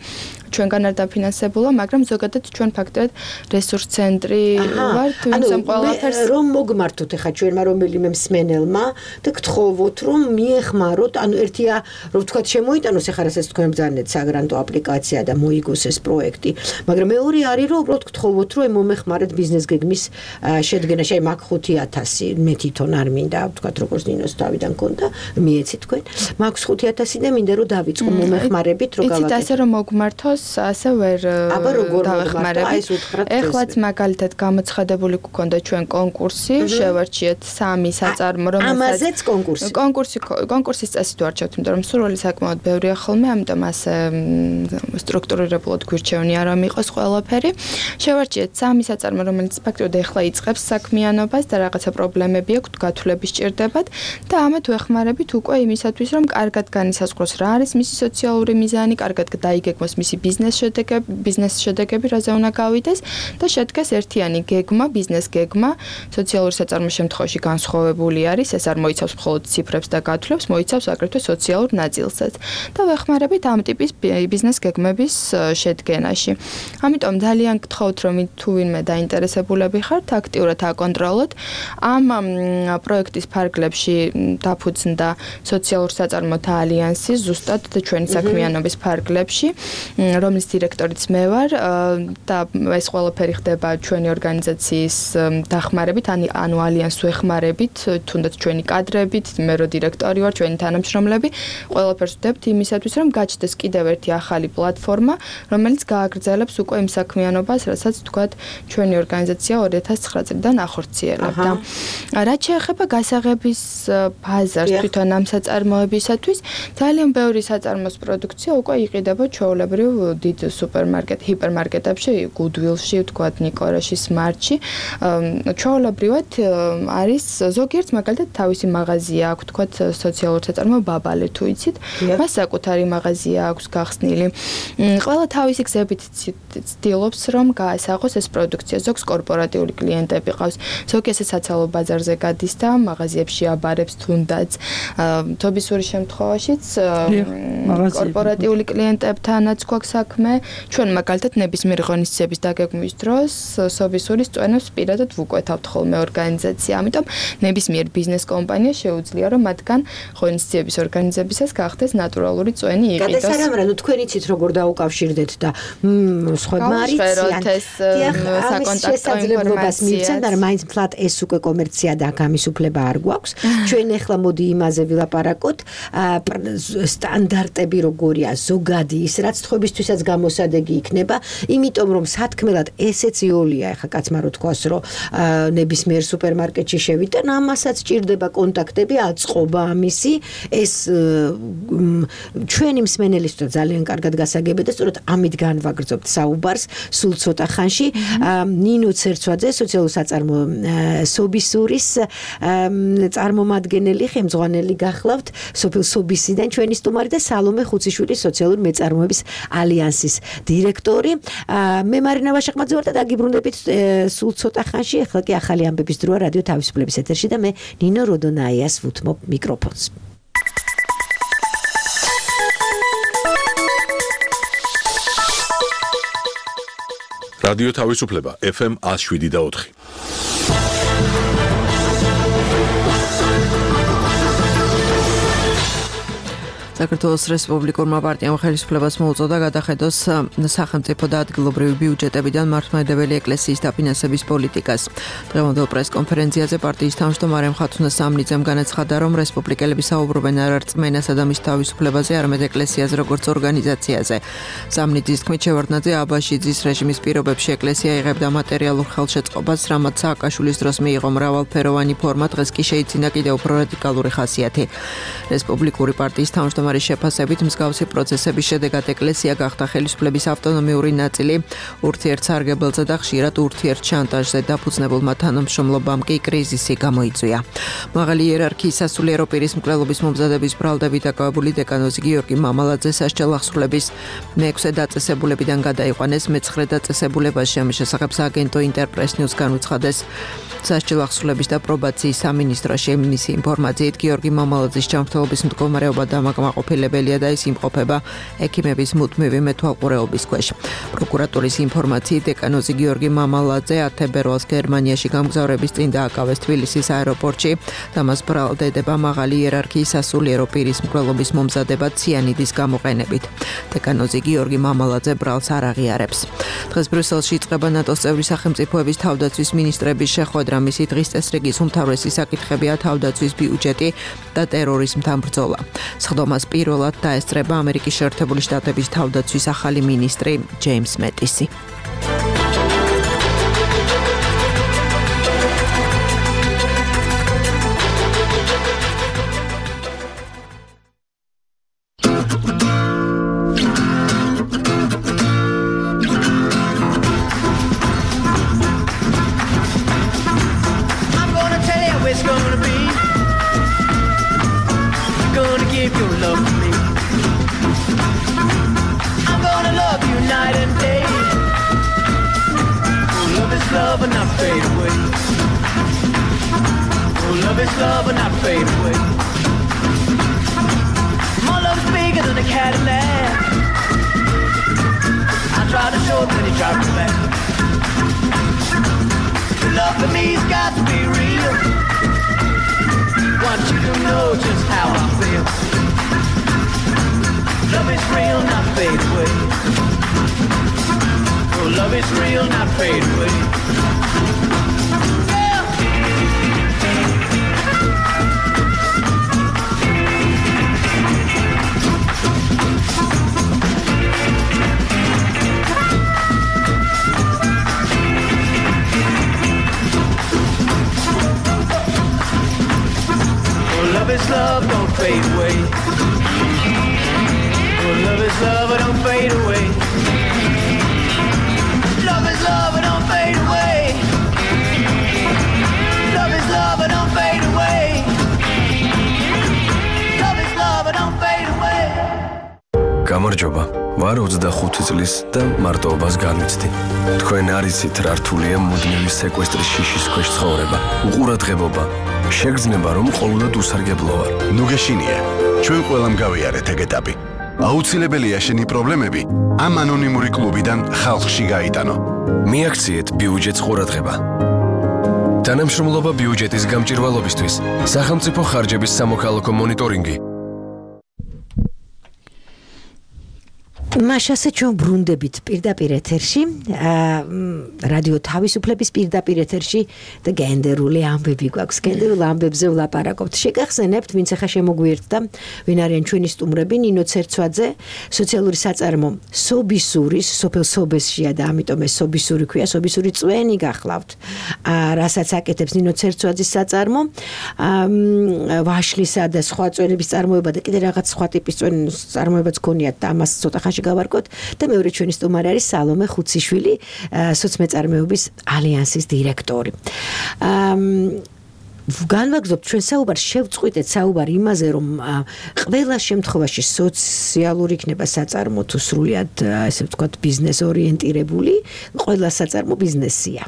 ჩვენგან არ დაფინანსებულა, მაგრამ ზოგადად ჩვენ ფაქტობრივად რესურს ცენტრი ვართ, ვინც ამ ყველაფერს რომ მოგმართოთ ახლა ჩვენმა რომელიმე მსმენელმა და გთხოვოთ რომ მიეხმაროთ, ანუ ერთია რომ ვთქვათ შემოიტანოს ახლა რასაც თქვენ ბრძანეთ საგრანტო აპლიკაცია და მოიგოს ეს პროექტი, მაგრამ მეორე არის რომ უბრალოდ გთხოვოთ რომ მომეხმარეთ ბიზნეს გეგმის შედგენაში, აი მაგ ხუთი ათასი მე თვითონ არ მინდა ვთქვათ როგორც ნინოს თავიდან კონდა, მიეცით თქვენ, მაქვს ხუთი ათასი და მინდა რომ დავიწყო მომეხმარებით რომ გავაკეთო. იცით ასე რომ მოგმართოს ასე ვერ დავეხმარებით. ეხლაც მაგალითად გამოცხადებული გქონდა ჩვენ კონკურსი, შევარჩიეთ სამი საწარმო, რომელსაც ამაზეც კონკურსი. კონკურსი კონკურსის წესით ვარჩევთ, იმიტომ რომ სურვილი საკმაოდ ბევრია ხოლმე, ამიტომ ასე სტრუქტურირებულად გვირჩევნია რომ იყოს ყველაფერი. შევარჩიეთ სამი საწარმო, რომელიც ფაქტობრივად ეხლა იწყებს საქმიანობას და რაღაცა პრობლემები აქვს, გათვლები სჭირდებათ და ამათ ვეხმარებით უკვე იმისათვის, რომ კარგად განისაზღვროს რა არის მისი სოციალური მიზანი, კარგად დაიგეგმოს მისი ბიზნეს შედეგები, ბიზნეს შედეგები რაზე უნდა გავიდეს და შედგეს ერთიანი გეგმა, ბიზნეს გეგმა, სოციალური საწარმოს შემთხვევაში განსხვავებული არის, ეს არ მოიცავს მხოლოდ ციფრებს და გათვლებს, მოიცავს აგრეთვე სოციალურ ნაწილსაც და ვეხმარებით ამ ტიპის ბიზნეს გეგმების შედგენაში. ამიტომ ძალიან გთხოვთ, რომ თუ ვინმე დაინტერესებულები ხართ, აქტიურად აკონტროლოთ. ამ პროექტის ფარგლებში დაფუძნდა სოციალურ საწარმოთა ალიანსი, ზუსტად ჩვენი საქმიანობის ფარგლებში, რომლის დირექტორიც მე ვარ და ეს ყველაფერი ხდება ჩვენი ორგანიზაციის დახმარებით, ანუ ალიანსს ვეხმარებით, თუნდაც ჩვენი კადრებით, მე რო დირექტორი ვარ, ჩვენი თანამშრომლები, ყველაფერს ვდებთ იმისათვის, რომ გაჩნდეს კიდევ ერთი ახალი პლატფორმა, რომელიც გააგრძელებს უკვე იმ საქმიანობას, რასაც თქვათ ჩვენი ორგანიზაცია ორი ათას ცხრა წლიდან ახორციელებდა. რაც შეეხება გასაღების ბაზარს თვითონ ამ საწარმოებისათვის, ძალიან ბევრი საწარმოს პროდუქცია უკვე იყიდება ჩვეულებრივ დიდ სუპერმარკეტ, ჰიპერმარკეტებში, Goodwill-ში, თქვათ ნიკორაში, Smart-ში. ჩვეულებრივად არის ზოგიერთ მაგალითად თავისი მაღაზია აქვს, თქვათ სოციალურ საწარმო ბაბალე თუ იცით, მას საკუთარი მაღაზია აქვს გახსნილი. ყველა თავისი გზებით ცდილობს რომ გაასაღოს ეს პროდუქცია. ზოგს კორპორატიული კლიენტები ყავს, ზოგი ესე საცალო ბაზარზე გადის და მაღაზიებში აბარებს თუნდაც. თობისური შემთხვევაშიც კორპორატიული კლიენტებთანაც გვაქვს საქმე. ჩვენ მაგალითად ნებისმიერ ღონისძიების დაგეგმვის დროს სობისურის წვენებს პირადად ვუკვეთავთ ხოლმე ორგანიზაცია. ამიტომ ნებისმიერ ბიზნეს კომპანია შეუძლია რომ მათგან ღონისძიების ორგანიზებისას გახდეს ნატურალური წვენი იყიდოს. გადასარამრა, ნუ თქვენ იცით როგორ დაუკავშირდეთ და სხვებმა არიციან. საკონტაქტო ინფორმაციას და მაინც ფლატ ეს უკვე კომერცია და ამის უფლება არ გვაქვს. ჩვენ ახლა მოდი იმაზე ვილაპარაკოთ, სტანდარტები როგორია, ზოგადი ის რაც თქვენისთვისაც გამოსადეგი იქნება, იმიტომ რომ სათქმელად ესეც იოლია, ახლა კაცმა რო თქვას, რომ ნებისმიერ სუპერმარკეტში შევიდან, ამასაც ჭირდება კონტაქტები, აწყობა ამისი, ეს ჩვენი მსმენელისთვის ძალიან კარგად გასაგებია და სწორედ ამით განვაგრძობთ საუბარს სულ ცოტა ხანში. ნინო ცერცვაძე, სოციალური საწარმო სობისურის წარმომადგენელი, ხელმძღვანელი გახლავთ სოფელ სობისიდან ჩვენი სტუმარი და სალომე ხუციშვილი, სოციალური მეწარმოების ალიანსის დირექტორი. მე მარინა ვაშაყმაძე ვარ და დაგიბრუნდებით სულ ცოტა ხანში. ახლა კი ახალი ამბების დროა რადიო თავისუფლების ეთერში და მე ნინო როდონაიას ვუთმობ მიკროფონს. რადიო თავისუფლება ეფ ემ one oh seven და four. საქართველოს რესპუბლიკურმა პარტიამ ხელისუფლებას მოუწოდა გადახედოს სახელმწიფო და ადგილობრივი ბიუჯეტებიდან მართლმადიდებელი ეკლესიის დაფინანსების პოლიტიკას. დღევანდელ პრესკონფერენციაზე პარტიის თავმჯდომარე მხატვრונה სამნიძემ განაცხადა, რომ რესპუბლიკელები საუბრობენ არ რწმენასა და მის თავისუფლებაზე, არამედ ეკლესიაზე როგორც ორგანიზაციაზე. სამნიძის თქმით, შევარდნაძე აბაშიძის რეჟიმის პირობებში ეკლესია იღებდა მატერიალურ ხელშეწყობას, რამაც სააკაშვილის დროს მიიღო მრავალფეროვანი ფორმა, დღეს კი შეიძინა კიდევ უფრო რადიკალური ხასიათი. რესპუბლიკური პარტიის თავმჯდომარე შეფასებით მსგავსი პროცესების შედეგად ეკლესია გახდა ხელისუფლების ავტონომიური ნაწილი, ურთიერთსარგებელზე და ხშირად ურთიერთშანტაჟზე დაფუძნებულმა თანამშრომლობამ კი კრიზისი გამოიწვია. მაღალი იერარქიის სასულიერო პირის მკვლელობის მომზადების ბრალდებით დაკავებული დეკანოზი გიორგი მამალაძე სასჯელ ახსრულების მეექვსე დაწესებულებიდან გადაიყვანეს, მეცხრე დაწესებულებაში ამის შესახებ სააგენტო ინტერპრეს ნიუს განუცხადეს. სასჯელ ახსრულების და პრობაციის სამინისტროში მისი ინფორმაციით გიორგი მამალაძის ჯანმრთელობის მდგომარეობა დამაკმაყოფილებელია და ის იმყოფება ექიმების მუდმივი მეთვალყურეობის ქვეშ. პროკურატურის ინფორმაციით დეკანოზი გიორგი მამალაძე ათე თებერვალს გერმანიაში გამგზავრების წინ დააკავეს თბილისის აეროპორტში და მას ბრალდება მაღალი იერარქიის სასულიერო პირის მკვლელობის მომზადება ციანიდის გამოყენებით. დეკანოზი გიორგი მამალაძე ბრალს არ აღიარებს. დღეს ბრიუსელში იწყება ნატოს წევრი სახელმწიფოების თავდაცვის მინისტრების შეხვედრა. მისი დღის წესრიგის უმთავრესი საკითხებია თავდაცვის ბიუჯეტი და ტერორიზმთან ბრძოლა. სხდომას პირველად დაესწრება ამერიკის შეერთებული შტატების თავდაცვის ახალი მინისტრი ჯეიმს მეტისი. გამარჯობა. ვარ ოცდახუთი წლის და მარტოობას განვიცდი. თქვენ არ იცით რა რთულია მუდმივი სეკვესტრის შიშის ქვეშ ცხოვრება. უყურადღებობა. შეგრძნება რომ ყოველდღე უსარგებლო ვარ. ნუ გეშინია. ჩვენ ყველამ გავიარეთ ეგ ეტაპი. აუცილებელია შენი პრობლემები ამ ანონიმური კლუბიდან ხალხში გაიტანო. მიაქციეთ ბიუჯეტს ყურადღება. თანამშრომლობა ბიუჯეტის გამჭირვალობისთვის, სახელმწიფო ხარჯების სამოქალაქო მონიტორინგი. მაშასე ჩვენ ბრუნდებით პირდაპირ ეთერში, რადიო თავისუფლების პირდაპირ ეთერში და გენდერული ამბები გვაქვს. გენდერულ ამბებზე ვლაპარაკობთ. შეგახსენებთ, ვინც ახლა შემოგვიერთდა, ვინ არიან ჩვენი სტუმრები, ნინო ცერცვაძე, სოციალური საწარმო სობისურის, სოფელ სობესშია და ამიტომ ეს სობისური ქვია, სობისური წვენი გახლავთ. რასაც აკეთებს ნინო ცერცვაძის საწარმო, ვაშლისა და სხვა წვენების წარმოება და კიდე რაღაც სხვა ტიპის წვენის წარმოებაც გქონიათ და ამას ცოტა ხანში გავარკვევთ და მეორე ჩვენი სტუმარი არის სალომე ხუციშვილი, სოცმეწარმეობის ალიანსის დირექტორი. განვაგრძობთ ჩვენ საუბარს, შევწყვიტეთ საუბარი იმაზე, რომ ყველა შემთხვევაში სოციალური იქნება საწარმო თუ სრულიად ესე ვთქვათ ბიზნეს ორიენტირებული, ყველა საწარმო ბიზნესია.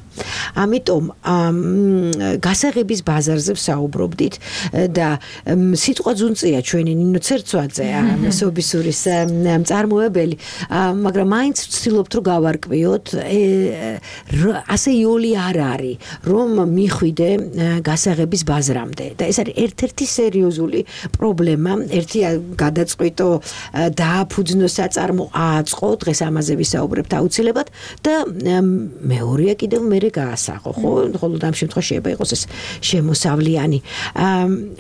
ამიტომ გასაღების ბაზარზე ვსაუბრობდით და სიტყვა ძუნწია ჩვენი ნინო ცერცვაძე, სობისურის მწარმოებელი, მაგრამ მაინც ვცდილობთ რომ გავარკვიოთ, ასე იოლი არ არის, რომ მიხვიდე გასაღების ბაზრამდე და ეს არის ერთ-ერთი სერიოზული პრობლემა. ერთია გადაწყვიტო დააფუძნო საწარმო, ააწყო, დღეს ამაზე ვისაუბრებთ აუცილებლად და მეორეა კიდევ მერე გაასაღო, ხო? ხოლო ამ შემთხვევაში შეიძლება იყოს ეს შემოსავლიანი.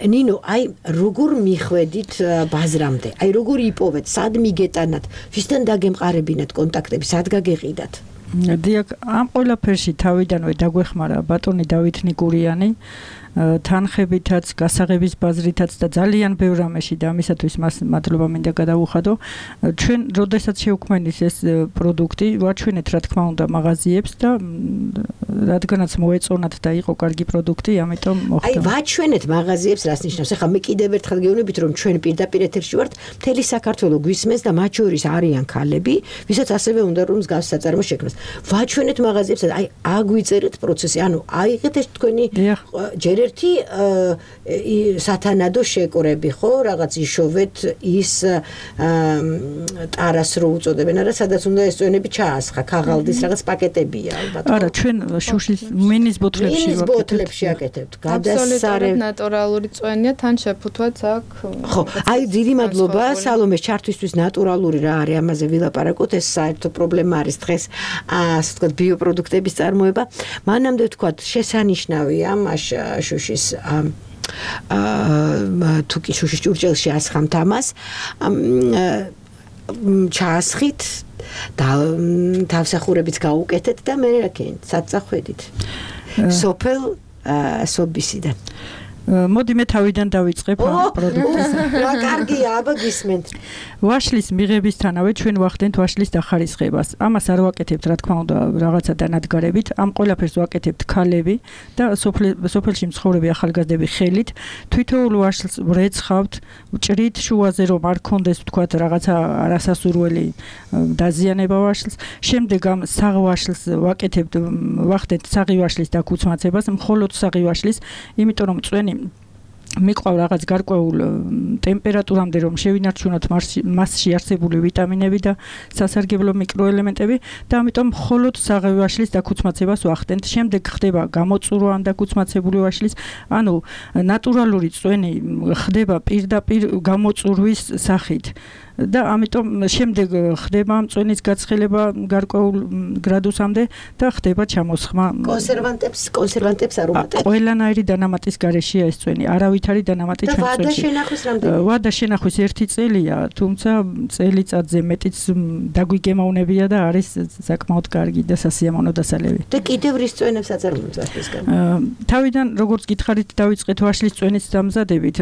ნინო, აი როგორ მიხვედით ბაზრამდე? აი როგორ იპოვეთ? სად მიგეტანათ? ვისთან დაგემყარებინათ კონტაქტები? სად გაგეყიდათ? დიახ, ამ ყველაფერში თავიდანვე დაგვეხმარა ბატონი დავით ნიკურიანი, თანხებითაც, გასაღების ბაზრითაც და ძალიან ბევრ რამეში და ამისათვის მას მადლობა მინდა გადავუხადო. ჩვენ როდესაც შევქმნის ეს პროდუქტი, ვაჩვენეთ რა თქმა უნდა მაღაზიებს და რადგანაც მოეწონათ და იყო კარგი პროდუქტი, ამიტომ მოხდა. აი ვაჩვენეთ მაღაზიებს, რას ნიშნავს? ახლა მე კიდევ ერთხელ გეუბნებით, რომ ჩვენ პირდაპირ ეთერში ვართ, მთელი საქართველო გვისმენს და მათ შორის არიან ქალები, ვისაც ასევე უნდა რომ მსგავს საწარმო შექმნას. ვაჩვენეთ მაღაზიებს, აი აგვიწერეთ პროცესი, ანუ აიღეთ ეს თქვენი ჯერ ერთი სათანადო შეკრები, ხო, რაღაც იშოვეთ ის ტარას რო უწოდებენ, არა, სადაც უნდა ეს წვენები ჩაასხა, ქაღალდის რაღაც პაკეტებია ალბათ. არა, ჩვენ შუშის მინის ბოთლებში ვაკეთებთ. მინის ბოთლებში აკეთებთ. გადასარე ნატურალური წვენია, თან შეფუთვაც აქ. ხო, აი დიდი მადლობა სალომეს ჩართვისთვის, ნატურალური რა არის, ამაზე ვილაპარაკოთ, ეს საერთო პრობლემა არის დღეს, ასე ვთქვათ, ბიოპროდუქტების წარმოება. მანამდე ვთქვათ, შესანიშნავია მაშ შუშის თუ კი შუშის ჭურჭელში ასხამთ ამას, ჩაასხით და თავსახურებიც გაუკეთეთ და მე რაკენ საწახვედით სოფელ სობისიდან. მოდი მე თავიდან დავიწყებ ამ პროდუქტს. რა კარგია, აბა გისმენთ. ვაშლის მიღებისთანავე ჩვენ ვახდენთ ვაშლის დახარისხებას. ამას არ ვაკეთებთ, რა თქმა უნდა, რაღაცა დანადგარებით. ამ ყველაფერს ვაკეთებთ ქალები და სოფელში მცხოვრები ახალგაზრდები ხელით. თვითოულ ვაშლს ვრეცხავთ, ჭრით შუაზე რომ არ კონდეს, ვთქვათ, რაღაცა არასასურველი დაზიანება ვაშლს. შემდეგ ამ საღვაშლს ვაკეთებთ, ვახდენთ საღივაშლის დაქუცმაცებას, მხოლოდ საღივაშლის, იმიტომ რომ წვენი მიყვავ რაღაც გარკვეულ ტემპერატურამდე რომ შევინარჩუნოთ მასში არსებული ვიტამინები და სასარგებლო მიკროელემენტები და ამიტომ მხოლოდ საღები ვაშლის დაქუცმაცებას ვახდენთ. შემდეგ ხდება გამოწურვა ამ დაქუცმაცებული ვაშლის, ანუ ნატურალური წვენი ხდება პირდაპირ გამოწურვის სახით. და ამიტომ შემდეგ ხდება ამ წვენის გაცხელება გარკვეულ გრადუსამდე და ხდება ჩამოსხმა. კონსერვანტებს, კონსერვანტებს არ უმატებთ. ყველანაირი დანამატის გარეშეა ეს წვენი, არავითარი დანამატი ჩვენ წვენში. და ვადა შენახვის რამდენი? ვადა შენახვის ერთი წელია, თუმცა წელიწადზე მეტიც დაგვიგემოვნებია და არის საკმაოდ კარგი და სასიამოვნო დასალევი. და კიდევ რის წვენებს აწარმოებთ ვაშლისგან? თავიდან როგორც გითხარით, დავიწყეთ ვაშლის წვენის დამზადებით.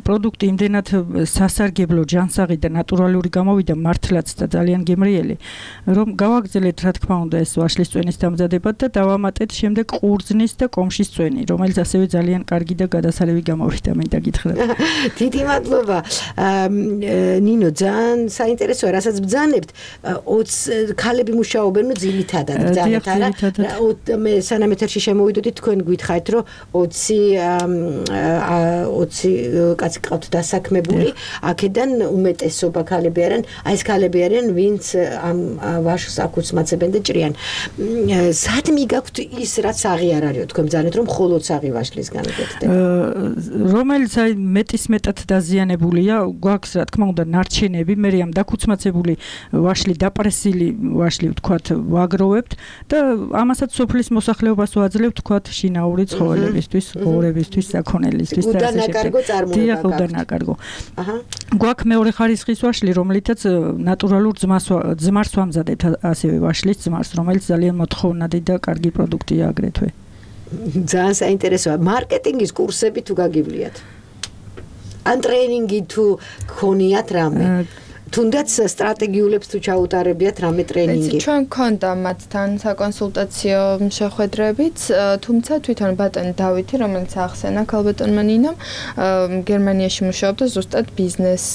პროდუქტი იმდენად სასარგებლო, ჯანსაღი და ნატურალური გამოვიდა მართლაც და ძალიან გემრიელი, რომ გავაგრძელეთ რა თქმა უნდა ეს ვაშლის წვენის დამზადება და დავამატეთ შემდეგ ყურძნის და კომშის წვენი, რომელიც ასევე ძალიან კარგი და გადასარევი გამოვიდა, მინდა გითხრათ. დიდი მადლობა. ნინო, ძალიან საინტერესოა, რასაც ბძანებთ, ოცი ქალები მუშაობენ, ნუ ძირითადად ბძანებთ, არა? მე სანამ ეთერში შემოვიდოდი, თქვენ გითხარით, რომ ოცი ოცი კაცი ყავთ დასაქმებული, აქედან უმეტესობა ქალები არიან, აი ეს ქალები არიან, ვინც ამ ვაშლს აკუცმაცებენ და ჭრიან. სად მიგაქვთ ის რაც საღი არ არისო, თქვენ ბრძანეთ რომ მხოლოდ საღი ვაშლის განაგებდეთ. რომელიც აი მეტის მეტად დაზიანებულია, გვაქვს რა თქმა უნდა ნარჩენები, მე ამ დაკუცმაცებული ვაშლი, დაპრესილი ვაშლი ვთქვათ, ვაგროვებთ და ამასაც სოფლის მოსახლეობას ვაძლევთ ვთქვათ შინაური ცხოველებისთვის, ღორებისთვის, საქონელისთვის და ასე შემდეგ. დიახ, უდანაკარგო. აჰა. გვაქვს მეორე ხარისხის ვაშლი, რომლითაც ნატურალურ ძმას ძმარს ვამზადებთ, ასევე ვაშლის ძმარს, რომელიც ძალიან მოთხოვნადი და კარგი პროდუქტია აგრეთვე. ძალიან საინტერესოა. მარკეტინგის კურსები თუ გაგივლიათ? ან ტრეინინგი თუ გქონიათ რამე? თუნდაც სტრატეგიულებს თუ ჩაუტარებიათ რამე ტრეინინგი. ჩვენ გქონდა მათთან საკონსულტაციო შეხვედრებიც, თუმცა თვითონ ბატონი დავითი, რომელიც ახსენა ქალბატონმა ნინომ, გერმანიაში მუშაობდა ზუსტად ბიზნეს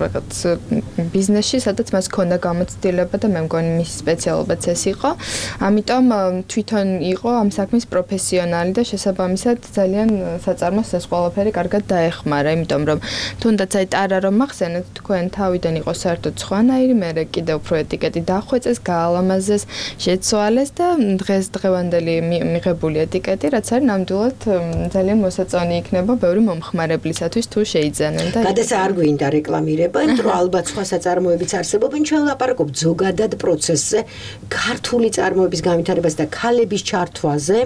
რაღაც ბიზნესში, სადაც მას ჰქონდა გამოცდილება და მე მგონი მისი სპეციალობაც ეს იყო. ამიტომ თვითონ იყო ამ საქმის პროფესიონალი და შესაბამისად ძალიან საწარმოს ეს ყველაფერი კარგად დაეხმარა, იმიტომ რომ თუნდაც აი ტარა რომ ახსენეთ თქვენ თავი იყო საერთოდ სხვანაირი, მე კიდე უფრო ეტიკეტი დახვეწეს, გაალამაზეს, შეცვალეს და დღეს დღევანდელი მიღებული ეტიკეტი, რაც არის ნამდვილად ძალიან მოსაწონი იქნება ბევრი მომხმარებლისათვის თუ შეიძენენ და გადაცა არ გვინდა რეკლამირება, იმიტომ რომ ალბათ სხვა საწარმოებიც არსებობენ, ჩვენ ვლაპარაკობთ ზოგადად პროცესზე, ქართული წარმოების განვითარებას და ქალების ჩართვაზე,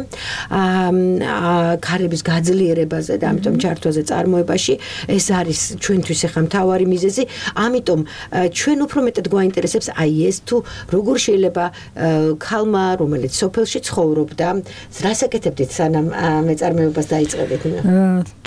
ქალების გაძლიერებაზე და ამიტომ ჩართვაზე წარმოებაში, ეს არის ჩვენთვის ახლა მთავარი მიზეზი, ამიტომ ჩვენ უფრო მეტად გვაინტერესებს აი ეს თუ როგორ შეიძლება ქალმა რომელიც სოფელში ცხოვრობდა რას აკეთებდით სანამ მეწარმეობას დაიწყებდით?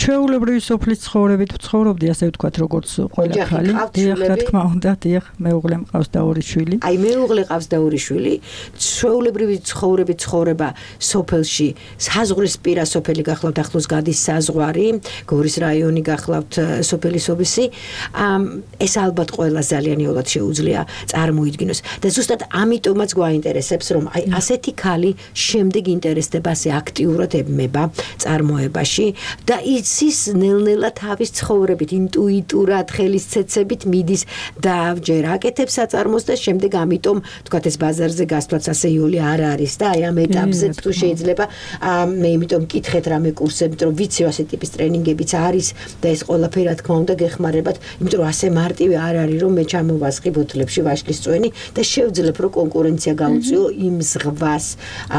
ჩვეულებრივი სოფლის ცხოვრებით ვცხოვრობდი, ასე ვთქვათ, როგორც ყველა ქალი. დიახ, რა თქმა უნდა, დიახ, მეუღლე მყავს და ორი შვილი. აი მეუღლე ყავს და ორი შვილი. ჩვეულებრივი ცხოვრებით ცხოვრება სოფელში, საზღვრის პირა სოფელი გახლავთ, ახლოს გადის საზღვარი, გორის რაიონი გახლავთ, სოფელი სობისი. ეს ალბათ ყველა ძალიან იოლად შეუძლია წარმოიდგინოს და ზუსტად ამიტომაც გვაინტერესებს რომ აი ასეთი ქალი შემდეგ ინტერესდება ასე აქტიურად ებმება წარმოებაში და იცის ნელ-ნელა თავის ცხოვრებით ინტუიტურად ხელისცეცებით მიდის და ჯერ აკეთებს საწარმოს და შემდეგ ამიტომ თქვათ ეს ბაზარზე გასვლაც ასე იოლი არ არის და აი ამ ეტაპზეც თუ შეიძლება მე იმიტომ მკითხეთ რამე კურსებით რომ ვიცი ასე ტიპის ტრენინგებიც არის და ეს ყველაფერი რა თქმა უნდა გეხმარებათ იმიტომ რომ ასე მარტივი არ არის რომ მე ჩამოვასხი ბოთლებში ვაშლის წვენი და შევძლებ რომ კონკურენცია გაუწიო იმ ზღვას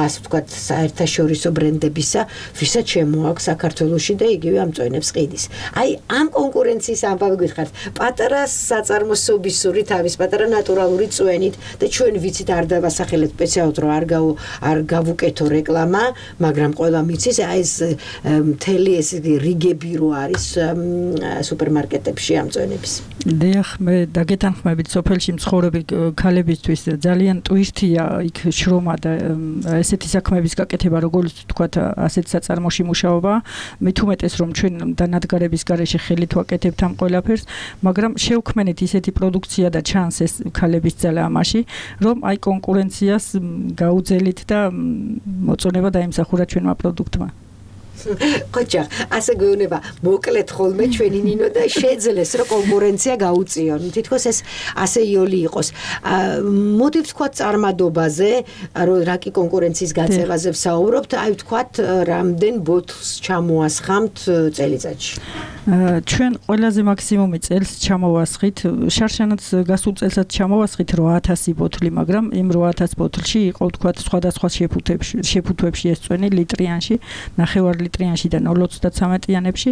ასე ვთქვათ საერთაშორისო ბრენდებისა ვისაც შემოაქვს საქართველოში და იგივე ამ წვენებს ყიდის. აი ამ კონკურენციის ამბავი გითხართ პატარა საწარმოსობისური თავის პატარა ნატურალური წვენით და ჩვენ ვიცით არ დავასახელეთ სპეციალურად რომ არ გავ არ გავუკეთო რეკლამა, მაგრამ ყველა მიცის აი ეს მთელი ეს რიგები რო არის სუპერმარკეტებში ამ წვენების. დიახ, მე დაგეთანხმებით სოფელში მცხოვრები ქალებისთვის ძალიან ტვირთია იქ შრომა და ესეთი საქმეების გაკეთება, როგორც თქვათ, ასეთ საწარმოში მუშაობა, მით უმეტეს რომ ჩვენ დანადგარების გარეშე ხელით ვაკეთებთ ამ ყველაფერს, მაგრამ შევქმნით ისეთი პროდუქცია და ჩანს ეს ქალების ძალა ამაში, რომ აი კონკურენციას გაუძელით და მოწონება დაიმსახურა ჩვენმა პროდუქტმა. ხოჭა, ასე გვეუბნება, მოკლედ ხოლმე ჩვენი ნინო და შეძლეს რომ კონკურენცია გაუწიონ. თითქოს ეს ასე იოლი იყოს. მოდი ვთქვათ წარმადობაზე, რომ რა კი კონკურენციის გაწევაზე ვსაუბრობთ, აი ვთქვათ რამდენ ბოთლს ჩამოასხამთ წელიწადში. ჩვენ ყველაზე მაქსიმუმი წელს ჩამოვასხით, შარშანაც გასულ წელსაც ჩამოვასხით რვა ათასი ბოთლი, მაგრამ იმ რვა ათას ბოთლში იყო ვთქვათ სხვადასხვა შეფუთებში, შეფუთვებში ეს წვენი ლიტრიანში, ნახევარ ლიტრიანში და ნულ ოცდათრამეტიანებში.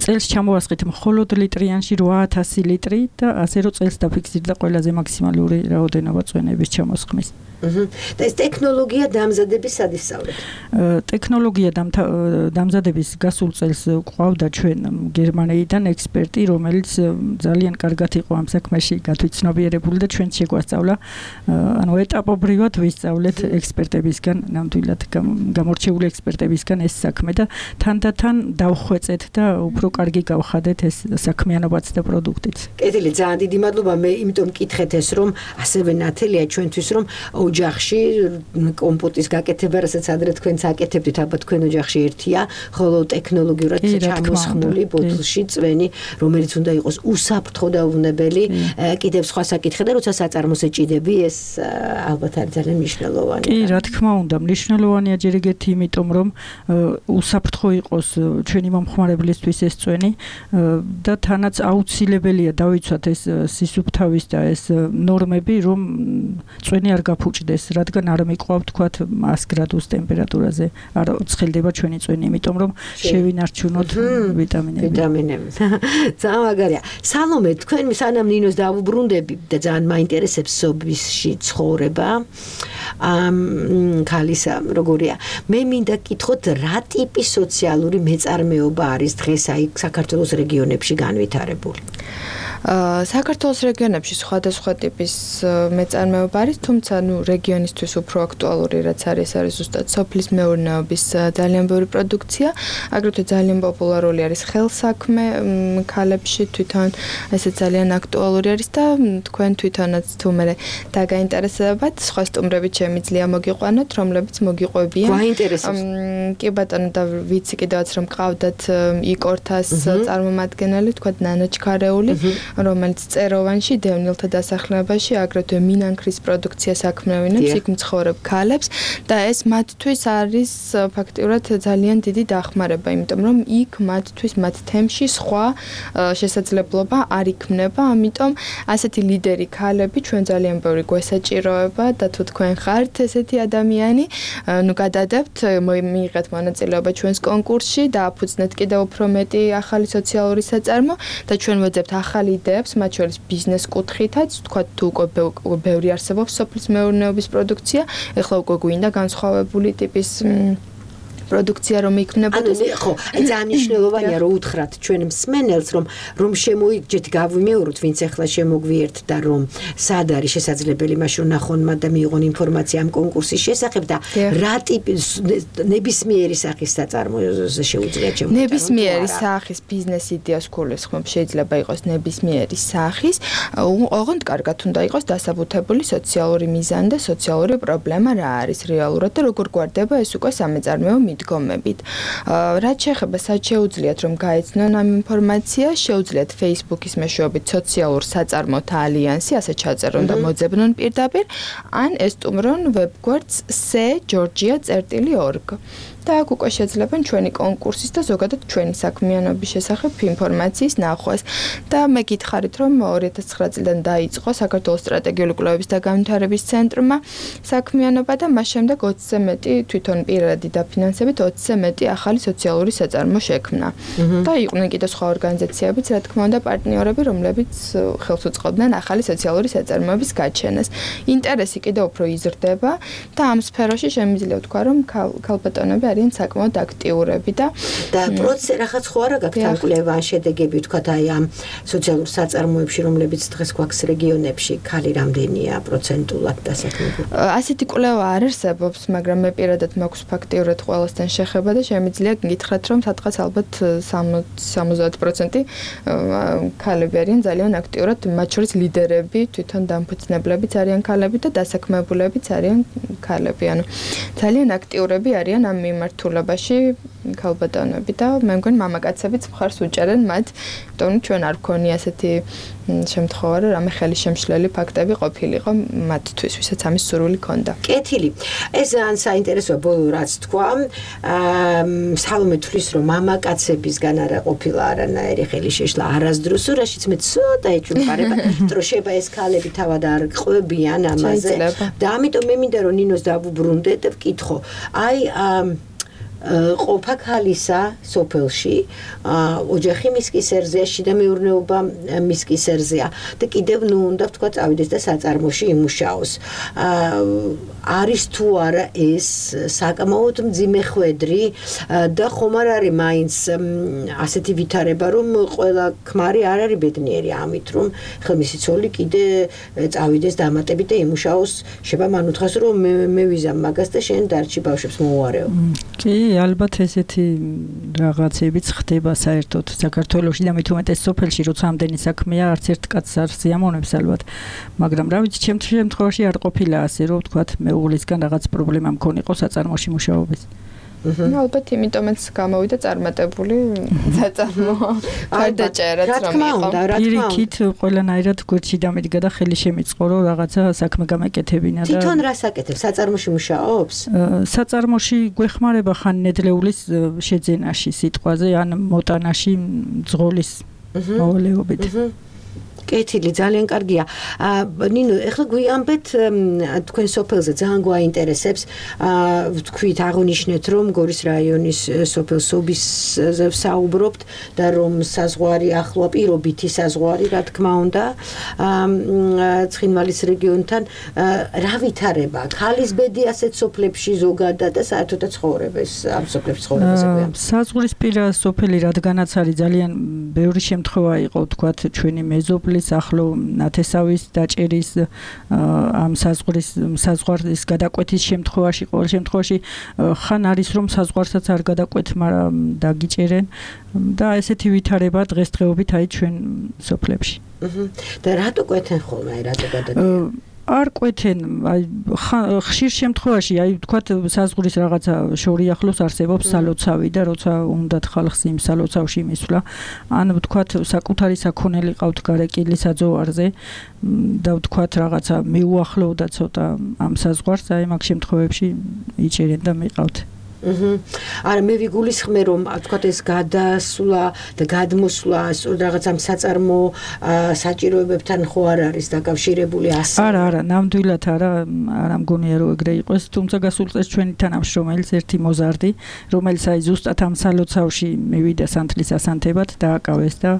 წელს ჩამოვასხით მხოლოდ ლიტრიანში რვა ათასი ლიტრი და ასე რომ წელს დაფიქსირდა ყველაზე მაქსიმალური რაოდენობა წვენების ჩამოსხმის. და ეს ტექნოლოგია დამზადების სად ისწავლეთ? ტექნოლოგია დამზადების გასულ წელს ყავდა ჩვენ გერმანიიდან ექსპერტი, რომელიც ძალიან კარგად იყო ამ საქმეში გათვითცნობიერებული და ჩვენ შეგვასწავლა, ანუ ეტაპობრივად ვისწავლეთ ექსპერტებისგან, ნამდვილად გამორჩეული ექსპერტებისგან ეს საქმე და თანდათან დავხვეწეთ და უფრო კარგი გავხადეთ ეს საქმიანობაც და პროდუქტიც. კეთილი, ძალიან დიდი მადლობა. მე იმიტომ მკითხეთ ეს რომ ასევე ნათელია ჩვენთვის რომ ოჯახში კომპოტის გაკეთება, რასაც ადრე თქვენც აკეთებდით, ალბათ თქვენ ოჯახში ერთია, ხოლო ტექნოლოგიურად ჩამოსხმული ბოთლში წვენი, რომელიც უნდა იყოს უსაფრთხო და უვნებელი, კიდევ სხვა საკითხი და როცა საწარმოს ეჭიდები, ეს ალბათ არის ძალიან მნიშვნელოვანი. კი, რა თქმა უნდა, მნიშვნელოვანია ჯერ ეგეთი, იმიტომ რომ უსაფრთხო იყოს ჩვენი მომხმარებლისთვის ეს წვენი და თანაც აუცილებელია დავიცვათ ეს სისუფთავის და ეს ნორმები, რომ წვენი არ გაფუჭდეს, რადგან არ მიყვავთ თქვათ ას გრადუს ტემპერატურაზე არ ცხელდება ჩვენი წვენი, იმიტომ რომ შევინარჩუნოთ ვიტამინები. ვიტამინები. ძალიან მაგარია. სალომე, თქვენ სანამ ნინოს დავუბრუნდები და ძალიან მაინტერესებს სოფიში ცხოვრება. ამ ქალისა როგორია? მე მინდა გკითხოთ, რა ტიპის სოციალური მეწარმეობა არის დღეს აი საქართველოს რეგიონებში განვითარებული? საქართველოს რეგიონებში სხვადასხვა ტიპის მეწარმეობა არის, თუმცა ნუ რეგიონისთვის უფრო აქტუალური რაც არის, არის ზუსტად სოფლის მეურნეობის ძალიან ბევრი პროდუქცია, აგრეთვე ძალიან პოპულარული არის ხელსაქმე ქალებში, თვითონ ესე ძალიან აქტუალური არის და თქვენ თვითონაც თუ მე დაგაინტერესებათ, სხვა სტუმრებით შემიძლია მოგიყვანოთ, რომლებიც მოგიყვებიან. გვაინტერესებს. კი ბატონო და ვიცი კიდევაც რომ ყავდათ იკორთას წარმომადგენელი, თქვა ნანა ჩქარეული, რომელიც წეროვანში დევნილთა დასახლებაში აგრეთვე მინანქრის პროდუქციას აქმნევინებს, იქ მცხოვრებ ქალებს და ეს მათთვის არის ფაქტიურად ძალიან დიდი დახმარება, იმიტომ რომ იქ მათთვის მათ თემში სხვა შესაძლებლობა არ იქმნება, ამიტომ ასეთი ლიდერი ქალები ჩვენ ძალიან ბევრი გვესაჭიროება და თუ თქვენ ხართ ესეთი ადამიანი, ნუ გადადებთ, მიიღეთ მონაწილეობა ჩვენს კონკურსში და აფუძნეთ კიდევ უფრო მეტი ახალი სოციალური საწარმო და ჩვენ ვეძებთ ახალი იდეებს, მათ შორის ბიზნეს კუთხითაც, თქვა თუ უკვე ბევრი არსებობს სოფლის მეურნეობის პროდუქცია, ეხლა უკვე გვინდა განსხვავებული ტიპის პროდუქცია რომ იქნებოდეს. ანუ ხო, ძალიან მნიშვნელოვანია რომ უთხრათ ჩვენ მსმენელს, რომ რომ შემოიგჯეთ, გავიმეოროთ, ვინც ახლა შემოგვიერთთ და რომ სად არის შესაძლებელი მაშინ ნახონმა და მიიღონ ინფორმაცია ამ კონკურსის შესახებ და რა ტიპის ნებისმიერი სახის საწარმოზე შეუძლიათ შემოგვიერთოთ. ნებისმიერი სახის ბიზნეს იდეას გულისხმობ, შეიძლება იყოს ნებისმიერი სახის, ოღონდ კარგად უნდა იყოს დასაბუთებული სოციალური მიზანი და სოციალური პრობლემა რა არის რეალურად და როგორ გვარდება ეს უკვე სამეწარმეო მიდგომებით. რაც შეეხება სად შეუძლიათ რომ გაეცნონ ამ ინფორმაციას, შეუძლიათ Facebook-ის მეშვეობით სოციალურ საწარმოთა ალიანსი, ასე ჩაწერონ და მოძებნონ პირდაპირ, ან ესტუმრონ ვებგვერდს c georgia წერტილი org. და აქ უკვე შეძლებენ ჩვენი კონკურსის და ზოგადად ჩვენი საქმიანობის შესახებ ინფორმაციის ნახვას. და მე გითხარით, რომ ორი ათას ცხრა წლიდან დაიწყო საქართველოს სტრატეგიული კვლევების და განვითარების ცენტრმა საქმიანობა და მას შემდეგ ოცზე მეტი თვითონ პირადი დაფინანსებით ოცზე მეტი ახალი სოციალური საწარმო შექმნა. და იყვნენ კიდევ სხვა ორგანიზაციებიც, რა თქმა უნდა, პარტნიორები, რომლებიც ხელს უწყობდნენ ახალი სოციალური საწარმოების გაჩენას. ინტერესი კიდევ უფრო იზრდება და ამ სფეროში შემიძლია ვთქვა, რომ ქალბატონები არიან საკმაოდ აქტიურები და და პროცესი რაღაც ხო არა გაქვთ ამ კვლევა შედეგები ვთქვათ აი ამ სოციალურ საწარმოებში, რომლებიც დღეს გვაქვს რეგიონებში, ქალი რამდენია პროცენტულად დასაქმებული? ასეთი კვლევა არ არსებობს, მაგრამ მე პირადად მაქვს ფაქტიურად ყველასთან შეხება და შემიძლია გითხრათ, რომ სადღაც ალბათ სამოცდაათ პროცენტი ქალები არიან ძალიან აქტიურად, მათ შორის ლიდერები, თვითონ დამფუძნებლებიც არიან ქალები და დასაქმებულებიც არიან ქალები. ანუ ძალიან აქტიურები არიან ამ მიმართულებაში ქალბატონები და მე მგონი მამაკაცებიც მხარს უჭერენ მათ, იმიტომ რომ ჩვენ არ გქონია ასეთი შემთხვევა, რომ რამე ხელი შემშლელი ფაქტები ყოფილიყო მათთვის, ვისაც ამის სურვილი ჰქონდა. კეთილი. ეს ძალიან საინტერესოა ბოლო რაც თქვა. სალომე თვლის რომ მამაკაცებისგან არა ყოფილა არანაირი ხელი შეშლა არასდროს, რაშიც მე ცოტა ეჭვმყარება, რომ შეიძლება ეს ქალები თავად არ ყვებიან ამაზე. და ამიტომ მე მინდა რომ ნინოს დავუბრუნდე და ვკითხო. აი ყოფა ქალისა სოფელში, ოჯახი მის კისერზეა, შიდა მეურნეობა მის კისერზეა და კიდევ ნუ უნდა ვთქვა წავიდეს და საწარმოში იმუშაოს. არის თუ არა ეს საკმაოდ მძიმე ხვედრი და ხომ არ არის მაინც ასეთი ვითარება რომ ყველა ქმარი არ არის ბედნიერი ამით რომ ხელმისი ცოლი კიდე წავიდეს დამატებით და იმუშაოს შევა მან უთხრას რომ მე ვიზამ მაგას და შენ დარჩი ბავშვებს მოუარეო. კი, ალბათ ესეთი რაღაცებიც ხდება საერთოდ საქართველოში და მით უმეტეს სოფელში როცა ამდენი საქმეა არც ერთ კაცს არ სიამოვნებს ალბათ. მაგრამ რა ვიცი, ჩემ შემთხვევაში არ ყოფილა ასე რომ ვთქვათ მეუღლისგან რაღაც პრობლემა მქონიყო საწარმოში მუშაობის. ალბათ იმიტომაც გამოვიდა წარმატებული საწარმო გარდაჭერაც რომ იყო. პირიქით ყველანაირად გვერდში დამიდგა და ხელი შემიწყო რომ რაღაცა საქმე გამეკეთებინა და თვითონ რას აკეთებს? საწარმოში მუშაობს? საწარმოში გვეხმარება ხან ნედლეულის შეძენაში სიტყვაზე ან მოტანაში ძღოლის მოვალეობით. კეთილი ძალიან კარგია. ნინო, ეხლა გვიამბეთ თქვენ სოფელზე ძალიან გვაინტერესებს. ვთქვით, აღნიშნეთ რომ გორის რაიონის სოფელ სობისზე ვსაუბრობთ და რომ საზღვარი ახლოა, პირობითი საზღვარი, რა თქმა უნდა, ცხინვალის რეგიონთან რა ვითარება? ქალის ბედი ასეთ სოფლებში ზოგადად და საერთოდაც ცხოვრებას ამ სოფლებში ცხოვრებაზე გვიამბეთ. საზღვრისპირა სოფელი რადგანაც არის ძალიან ბევრი შემთხვევა იყო, ვთქვათ, ჩვენი მეზობლის ახლო ნათესავის დაჭერის ამ საზღვრის საზღვრის გადაკვეთის შემთხვევაში ყოველ შემთხვევაში ხან არის რომ საზღვარსაც არ გადაკვეთ, მაგრამ დაგიჭერენ და ესეთი ვითარება დღესდღეობით აი ჩვენ სოფლებში. და რატო კვეთენ ხოლმე, აი რატო გადადიან? არ კვეთენ, აი ხშირ შემთხვევაში, აი ვთქვათ, საზღვრის რაღაცა შორი ახლოს არსებობს სალოცავი და როცა უნდათ ხალხს იმ სალოცავში მისვლა, ან ვთქვათ, საკუთარი საქონელი ყავთ გარეკილი საძოვარზე და ვთქვათ, რაღაცა მიუახლოვდა ცოტა ამ საზღვარს, აი მაგ შემთხვევებში იჭერენ და მიყავთ. არა მე ვიგულისხმე რომ ვთქვათ ეს გადასვლა და გადმოსვლა სწორედ რაღაც ამ საწარმო საჭიროებებთან ხო არ არის დაკავშირებული ასე? არა, არა, ნამდვილად არა, არ მგონია რომ ეგრე იყოს, თუმცა გასულ წელს ჩვენი თანამშრომელი ერთი მოზარდი, რომელიც აი ზუსტად ამ სალოცავში მივიდა სანთლის ასანთებად დააკავეს და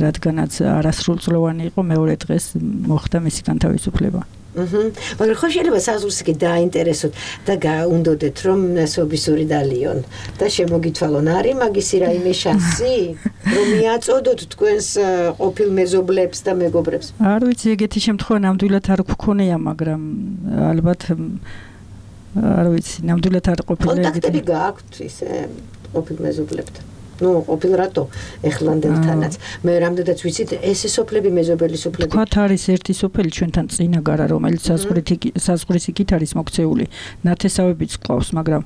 რადგანაც არასრულწლოვანი იყო, მეორე დღეს მოხდა მისი განთავისუფლება. აჰა. მაგრამ ხო შეიძლება საზღვრს კი დააინტერესოთ და გაუნდოდეთ რომ სობისური დალიონ და შემოგითვალონ არის მაგისი რაიმე შანსი რომ მიაწოდოთ თქვენს ყოფილ მეზობლებს და მეგობრებს? არ ვიცი, ეგეთი შემთხვევა ნამდვილად არ გვქონია, მაგრამ ალბათ არ ვიცი, ნამდვილად არ ყოფილა ეგეთი. კონტაქტები გააქვთ ისე ყოფილ მეზობლებთან? ნუ ყოფილ რატო ეხლანდელთანაც მე რამდენადაც ვიცით ეს სოფლები მეზობელი სოფლები თქვათ არის ერთი სოფელი ჩვენთან წინაგარა რომელიც საზღვრის იქით არის მოქცეული ნათესავებიც ყავს მაგრამ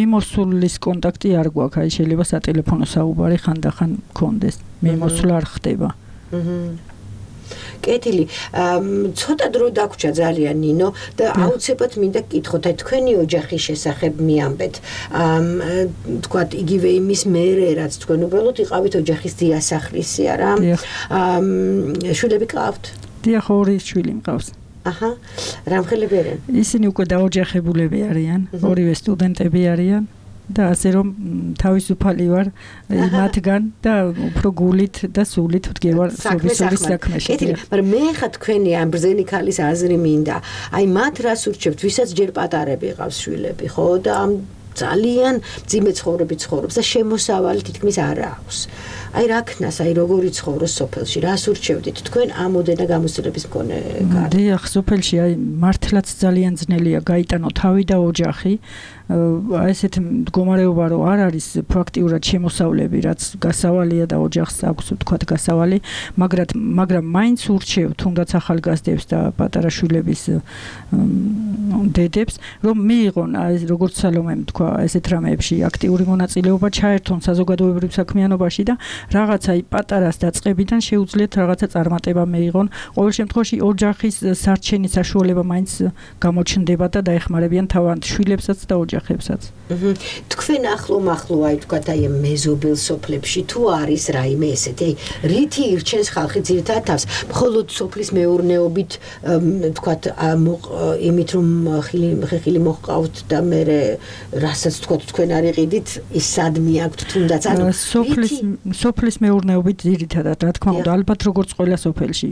მიმოსვლის კონტაქტი არ გვაქვს აი შეიძლება სატელეფონო საუბარი ხანდახან გქონდეს მიმოსვლა არ ხდება კეთილი ცოტა დრო დაგვრჩა ძალიან ნინო და აუცილებლად მინდა გკითხოთ აი თქვენი ოჯახის შესახებ მიამბეთ თქვათ იგივე იმის მერე რაც თქვენ უბრალოდ იყავით ოჯახის დიასახლისი არა შვილები ყავთ? დიახ, ორი შვილი მყავს. აჰა, რამხელები არიან? ისინი უკვე დაოჯახებულები არიან, ორივე სტუდენტები არიან. და ასე რომ თავისუფალი ვარ მათგან და უფრო გულით და სულით ვდგევარ სოფლის საქმეში. კეთილი, მაგრამ მე ხა თქვენი ამ ბრძენი ქალის აზრი მინდა. აი მათ რას ურჩევთ, ვისაც ჯერ პატარები ყავს შვილები, ხო და ამ ძალიან ძიმე ცხოვრები ცხოვრობს და შემოსავალი თითქმის არ აქვს. აი რა ქნას, აი როგორი ცხოვრობს სოფელში, რას ურჩევდით თქვენ ამოდენა გამოცდილების მქონე კარი? დიახ, სოფელში აი მართლაც ძალიან ძნელია გაიტანო თავი და ოჯახი. აი ესეთ მდგომარეობა რომ არ არის ფაქტიურად შემოსავლები, რაც გასავალია და ოჯახს აქვს თქვათ გასავალი, მაგრამ მაგრამ მაინც ურჩევ თუნდაც ახალგაზრდებს და პატარა შვილების დედებს, რომ მიიღონ აი როგორც სალომემ თქვა ესეთ რამეებში აქტიური მონაწილეობა ჩაერთონ საზოგადოებრივ საქმიანობაში და რაღაცა აი პატარას დაწყებიდან შეუძლიათ რაღაცა წარმატება მეიღონ. ყოველ შემთხვევაში ოჯახის სარჩენის საშუალება მაინც გამოჩნდება და დაეხმარებიან თავად შვილებსაც და ოჯახებსაც. თქვენ ახლო მახლო აი თქვათ აი მეზობელ სოფლებში თუ არის რაიმე ესეთი რითი ირჩენს ხალხი ძირითადად თავს მხოლოდ სოფლის მეურნეობით თქვათ იმით რომ ხილი ხილი მოჰყავთ და მე რასაც თქვათ თქვენ არ იყიდით ის სადმი აქვთ თუნდაც ანუ სოფლის სოფლის მეურნეობით ძირითადად რა თქმა უნდა ალბათ როგორც ყველა სოფელში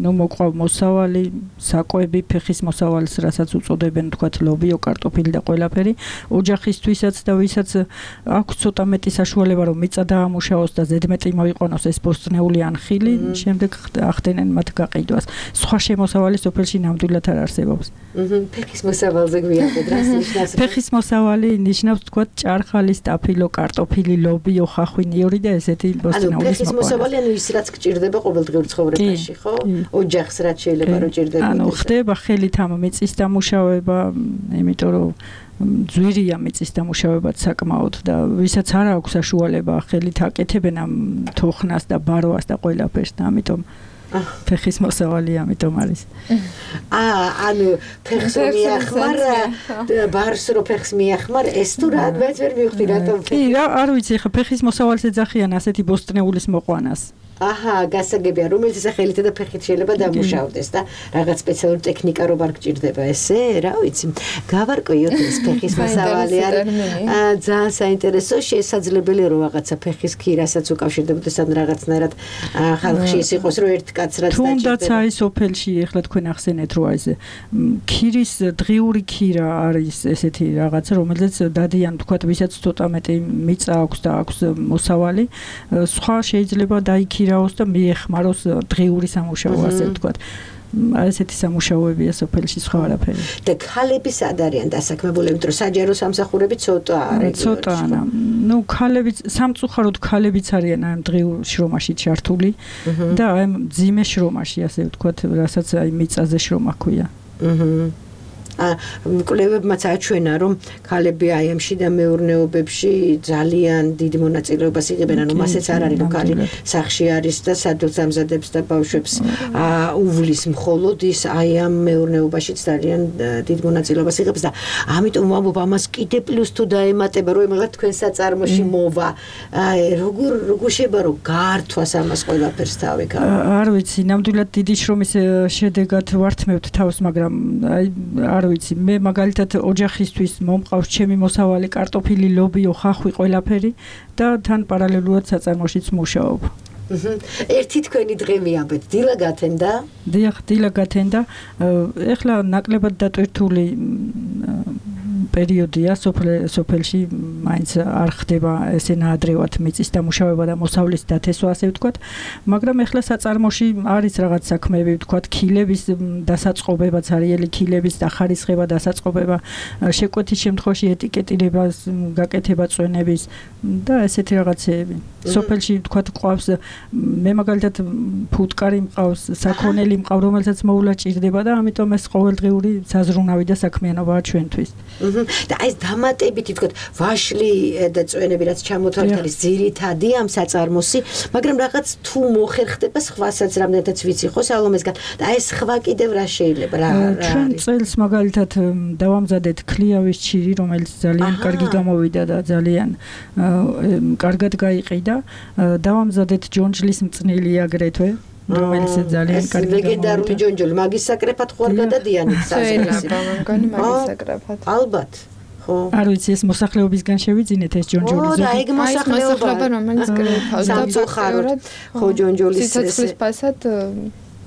ნუ მოყავ მოსავალი საკვები ფეხის მოსავალს, რასაც უწოდებენ თქვათ ლობიო, კარტოფილი და ყველაფერი, ოჯახისთვისაც და ვისაც აქვს ცოტა მეტი საშუალება რომ მიწა დაამუშავოს და ზედმეტი მოიყვანოს ეს ბოსტნეული ან ხილი, შემდეგ ახდენენ მათ გაყიდვას. სხვა შემოსავალი სოფელში ნამდვილად არ არსებობს. ფეხის მოსავალზე გვიანდეთ, რას ნიშნავს? ფეხის მოსავალი ნიშნავს თქვათ ჭარხალი, სტაფილო, კარტოფილი, ლობიო, ხახვი, ნიორი და ესეთი ბოსტნეულის მოყვანა. ანუ ფეხის მოსავალი ანუ ის რაც გჭირდება ყოველდღიურ ცხოვრებაში, ხო? ოჯახს რაც შეიძლება რომ ჭირდება. ანუ ხდება ხელით ამ მიწის დამუშავება, იმიტომ რომ ძვირია მიწის დამუშავებაც საკმაოდ და ვისაც არ აქვს საშუალება ხელით აკეთებენ ამ თოხნას და ბარვას და ყველაფერს და ამიტომ ფეხის მოსავალი ამიტომ არის. აა, ანუ ფეხს მიახმარ, ბარს რო ფეხს მიახმარ, ეს თუ რა მეც ვერ მივხვდი რატომ. კი, რა, არ ვიცი, ხა ფეხის მოსავალს ეძახიან ასეთი ბოსტნეულის მოყვანას. აჰა, გასაგებია, რომელიც ეს ხელით და ფეხით შეიძლება დამუშავდეს და რაღაც სპეციალური ტექნიკა რო არ გჭირდება ესე, რა ვიცი. გავარკვიოთ ეს ფეხის მოსავალი არის. ძალიან საინტერესო, შესაძლებელია რომ რაღაცა ფეხის ქირასაც უკავშირდებოდეს ან რაღაცნაირად ხალხში ის იყოს რომ ერთ კაცრაც დაჭირდება. თუნდაც აი სოფელში ეხლა თქვენ ახსენეთ რომ აი ეს ქირის დღიური ქირა არის ესეთი რაღაცა, რომელიც დადიან თქვათ ვისაც ცოტა მეტი მიწა აქვს და აქვს მოსავალი, სხვა შეიძლება დაიქ ქირაოს და მიეხმაროს დღიური სამუშაო ასე ვთქვათ. ასეთი სამუშაოებია სოფელში სხვა არაფერი. და ქალები სად არიან დასაქმებულები, იმიტომ რომ საჯარო სამსახურები ცოტა არის. ცოტაა. ნუ ქალები სამწუხაროდ ქალებიც არიან ამ დღიურ შრომაში ჩართული და აი ძიმე შრომაში ასე ვთქვათ, რასაც აი მიწაზე შრომა ქვია. აჰა. კვლევებმაც აჩვენა რომ ქალები აი ამ შიდა მეურნეობებში ძალიან დიდ მონაწილეობას იღებენ, ანუ მასეც არ არის რომ ქალი სახში არის და სადაც ამზადებს და ბავშვებს უვლის მხოლოდ ის აი ამ მეურნეობაშიც ძალიან დიდ მონაწილეობას იღებს და ამიტომ ვამბობ ამას კიდე პლუს თუ დაემატება რომ ემაღლა თქვენ საწარმოში მოვა აი როგორ როგორ შეიძლება რომ გაართვას ამას ყველაფერს თავი ქალი. არ ვიცი, ნამდვილად დიდი შრომის შედეგად ვართმევთ თავს, მაგრამ აი არ ვიცი, მე მაგალითად ოჯახისთვის მომყავს ჩემი მოსავალი კარტოფილი, ლობიო, ხახვი, ყველაფერი და თან პარალელურად საწარმოშიც მუშაობ. ერთი თქვენი დღე მიაბეთ, დილა გათენდა? დიახ, დილა გათენდა. ეხლა ნაკლებად დატვირთული პერიოდია სოფელში, მაინც არ ხდება ესე ნაადრევად მიწის დამუშავება და მოსავლის დათესვა ასე ვთქვათ, მაგრამ ეხლა საწარმოში არის რაღაც საქმეები, ვთქვათ, ქილების დასაწყობება, ცარიელი ქილების დახარისხება, დასაწყობება, შეკვეთის შემთხვევაში ეტიკეტირებას, გაკეთება წვენების და ესეთი რაღაცეები. სოფელში ვთქვათ, ყავს მე მაგალითად ფუტკარი მყავს, საქონელი მყავს, რომელსაც მოვლა ჭირდება და ამიტომ ეს ყოველდღიური საზრუნავი და საქმიანობაა ჩვენთვის. და ეს დამატებითი ვთქვათ, ვაშლი და წვენები რაც ჩამოთვალთ არის ძირითადი ამ საწარმოსი, მაგრამ რაღაც თუ მოხერხდება სხვასაც რამდენადაც ვიცი ხო სალომესგან და ეს სხვა კიდევ რა შეიძლება რა ჩვენ წელს მაგალითად დავამზადეთ ქლიავის ჩირი, რომელიც ძალიან კარგი გამოვიდა და ძალიან კარგად გაიყიდა. დავამზადეთ ჯონჯლის მწნილი აგრეთვე, რომელიც ძალიან კარგი გამოვიდა. ლეგენდარული ჯონჯოლი, მაგის საკრეფად ხო არ გადადიანით საზრისი. მაგის საკრეფად. ალბათ. ხო. არ ვიცი, ეს მოსახლეობისგან შევიძინეთ ეს ჯონჯოლი. ო, და ეგ მოსახლეობა რომელიც კრეფავს და სამწუხაროდ ხო ჯონჯოლის სიცოცხლის პასად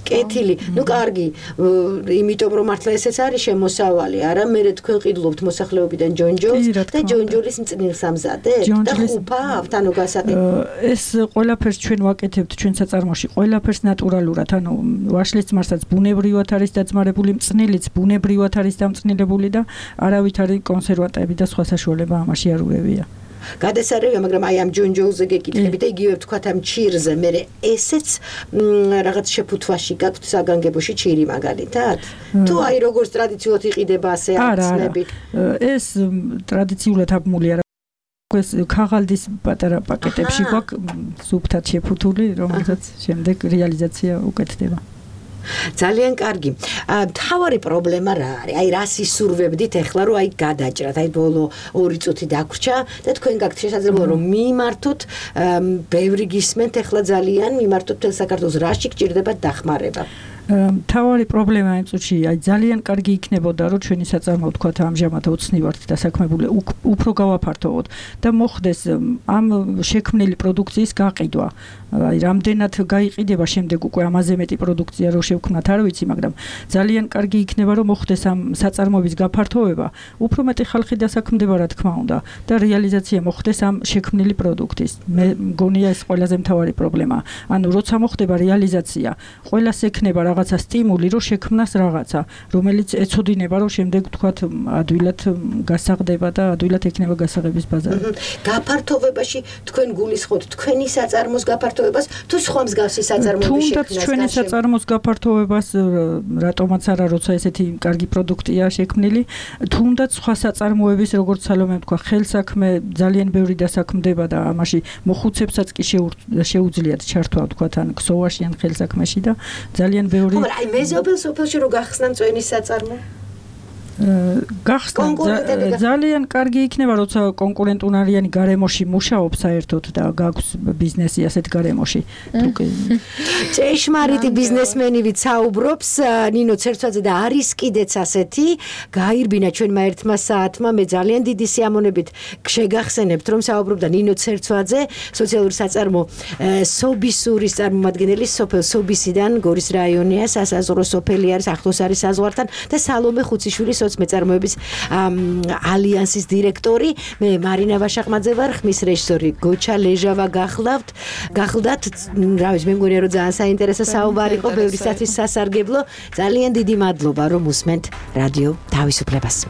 კეთილი, ნუ კარგი, იმიტომ რომ მართლა ესეც არის შემოსავალი, არა მე თქვენ ყიდულობთ მოსახლეობიდან ჯონჯოლს და ჯონჯოლის მწნილს ამზადებთ და ხუფავთ, ანუ გასაყიდო. ეს ყველაფერს ჩვენ ვაკეთებთ ჩვენ საწარმოში, ყველაფერს ნატურალურად, ანუ ვაშლის ძმარსაც ბუნებრივად არის დაძმარებული, მწნილიც ბუნებრივად არის დამწნილებული და არავით არის კონსერვანტები და სხვა საშუალება ამაში არ ურევია. გადასარევია, მაგრამ აი ამ ჯონჯოლზე გეკითხები და იგივე ვთქვათ ამ ჩირზე, მე ესეც რაღაც შეფუთვაში გაქვთ საგანგებოში ჩირი მაგალითად? თუ აი როგორც ტრადიციულად იყიდება ასე აცნები? ეს ტრადიციულად აბმული არა. ეს ქაღალდის პატარა პაკეტებში გვაქვს სუფთად შეფუთული, რომელსაც შემდეგ რეალიზაცია უკეთდება. ძალიან კარგი. თავარი პრობლემა რა არის? აი რას ისურვებდით ახლა რომ აი გადაჭრათ, აი ბოლო ორი წუთი დაგვრჩა და თქვენ გაქვთ შესაძლებლობა რომ მიმართოთ, ბევრი გისმენთ ახლა ძალიან მიმართოთ თელ საქართველოს, რაში გჭირდება დახმარება? თავარი პრობლემა იმ წუთში აი ძალიან კარგი იქნებოდა რომ ჩვენი საწარმო თქვა ამჟამად ოცნი ვართ დასაქმებული უფრო გავაფართოვოთ და მოხდეს ამ შექმნილი პროდუქციის გაყიდვა აი რამდენად გაიყიდება შემდეგ უკვე ამაზე მეტი პროდუქცია რო შევქმნათ არ ვიცი მაგრამ ძალიან კარგი იქნება რომ მოხდეს ამ საწარმოების გაფართოვება უფრო მეტი ხალხი დასაქმდება რა თქმა უნდა და რეალიზაცია მოხდეს ამ შექმნილი პროდუქტის მე მგონია ეს ყველაზე მთავარი პრობლემა ანუ როცა მოხდება რეალიზაცია ყველას ექნება რაღაცა სტიმული რომ შექმნას რაღაცა რომელიც ეცოდინება რომ შემდეგ თქვათ ადვილად გასაღდება და ადვილად ექნება გასაღების ბაზარი გაფართოვებაში თქვენ გულისხმობთ თქვენი საწარმოს გაფართოვებას თუ სხვა მსგავსი საწარმოების შექმნას თუნდაც ჩვენი საწარმოს გაფართოვებას რატომაც არა როცა ესეთი კარგი პროდუქტია შექმნილი თუნდაც სხვა საწარმოების როგორც სალომე თქვა ხელსაქმე ძალიან ბევრი დასაქმდება და ამაში მოხუცებსაც კი შეუძლიათ ჩართვა თქვათ ან ქსოვაში ან ხელსაქმეში და ძალიან ბევრი ხო მაგრამ აი მეზობელ სოფელში რო გახსნა წვენი საწარმო გახსნა ძალიან კარგი იქნება როცა კონკურენტუნარიანი გარემოში მუშაობს საერთოდ და გაქვს ბიზნესი ასეთ გარემოში ჭეშმარიტი ბიზნესმენივით საუბრობს ნინო ცერცვაძე და არის კიდეც ასეთი გაირბინა ჩვენმა ერთმა საათმა მე ძალიან დიდი სიამონებით შეგახსენებთ რომ საუბრობდა ნინო ცერცვაძე სოციალური საწარმო სობისურის წარმომადგენელი სოფელ სობისიდან გორის რაიონია სასაზღვრო სოფელი არის ახლოს არის საზღვართან და სალომე ხუციშვილი მეწარმოების ალიანსის დირექტორი მე მარინა ვაშაყმაძე ვარ ხმის რეჟისორი გოჩა ლეჟავა გახლავთ გახლდათ რა ვიცი მე მგონია რომ ძალიან საინტერესო საუბარი იყო ბევრისათვის სასარგებლო ძალიან დიდი მადლობა რომ უსმენთ რადიო თავისუფლებას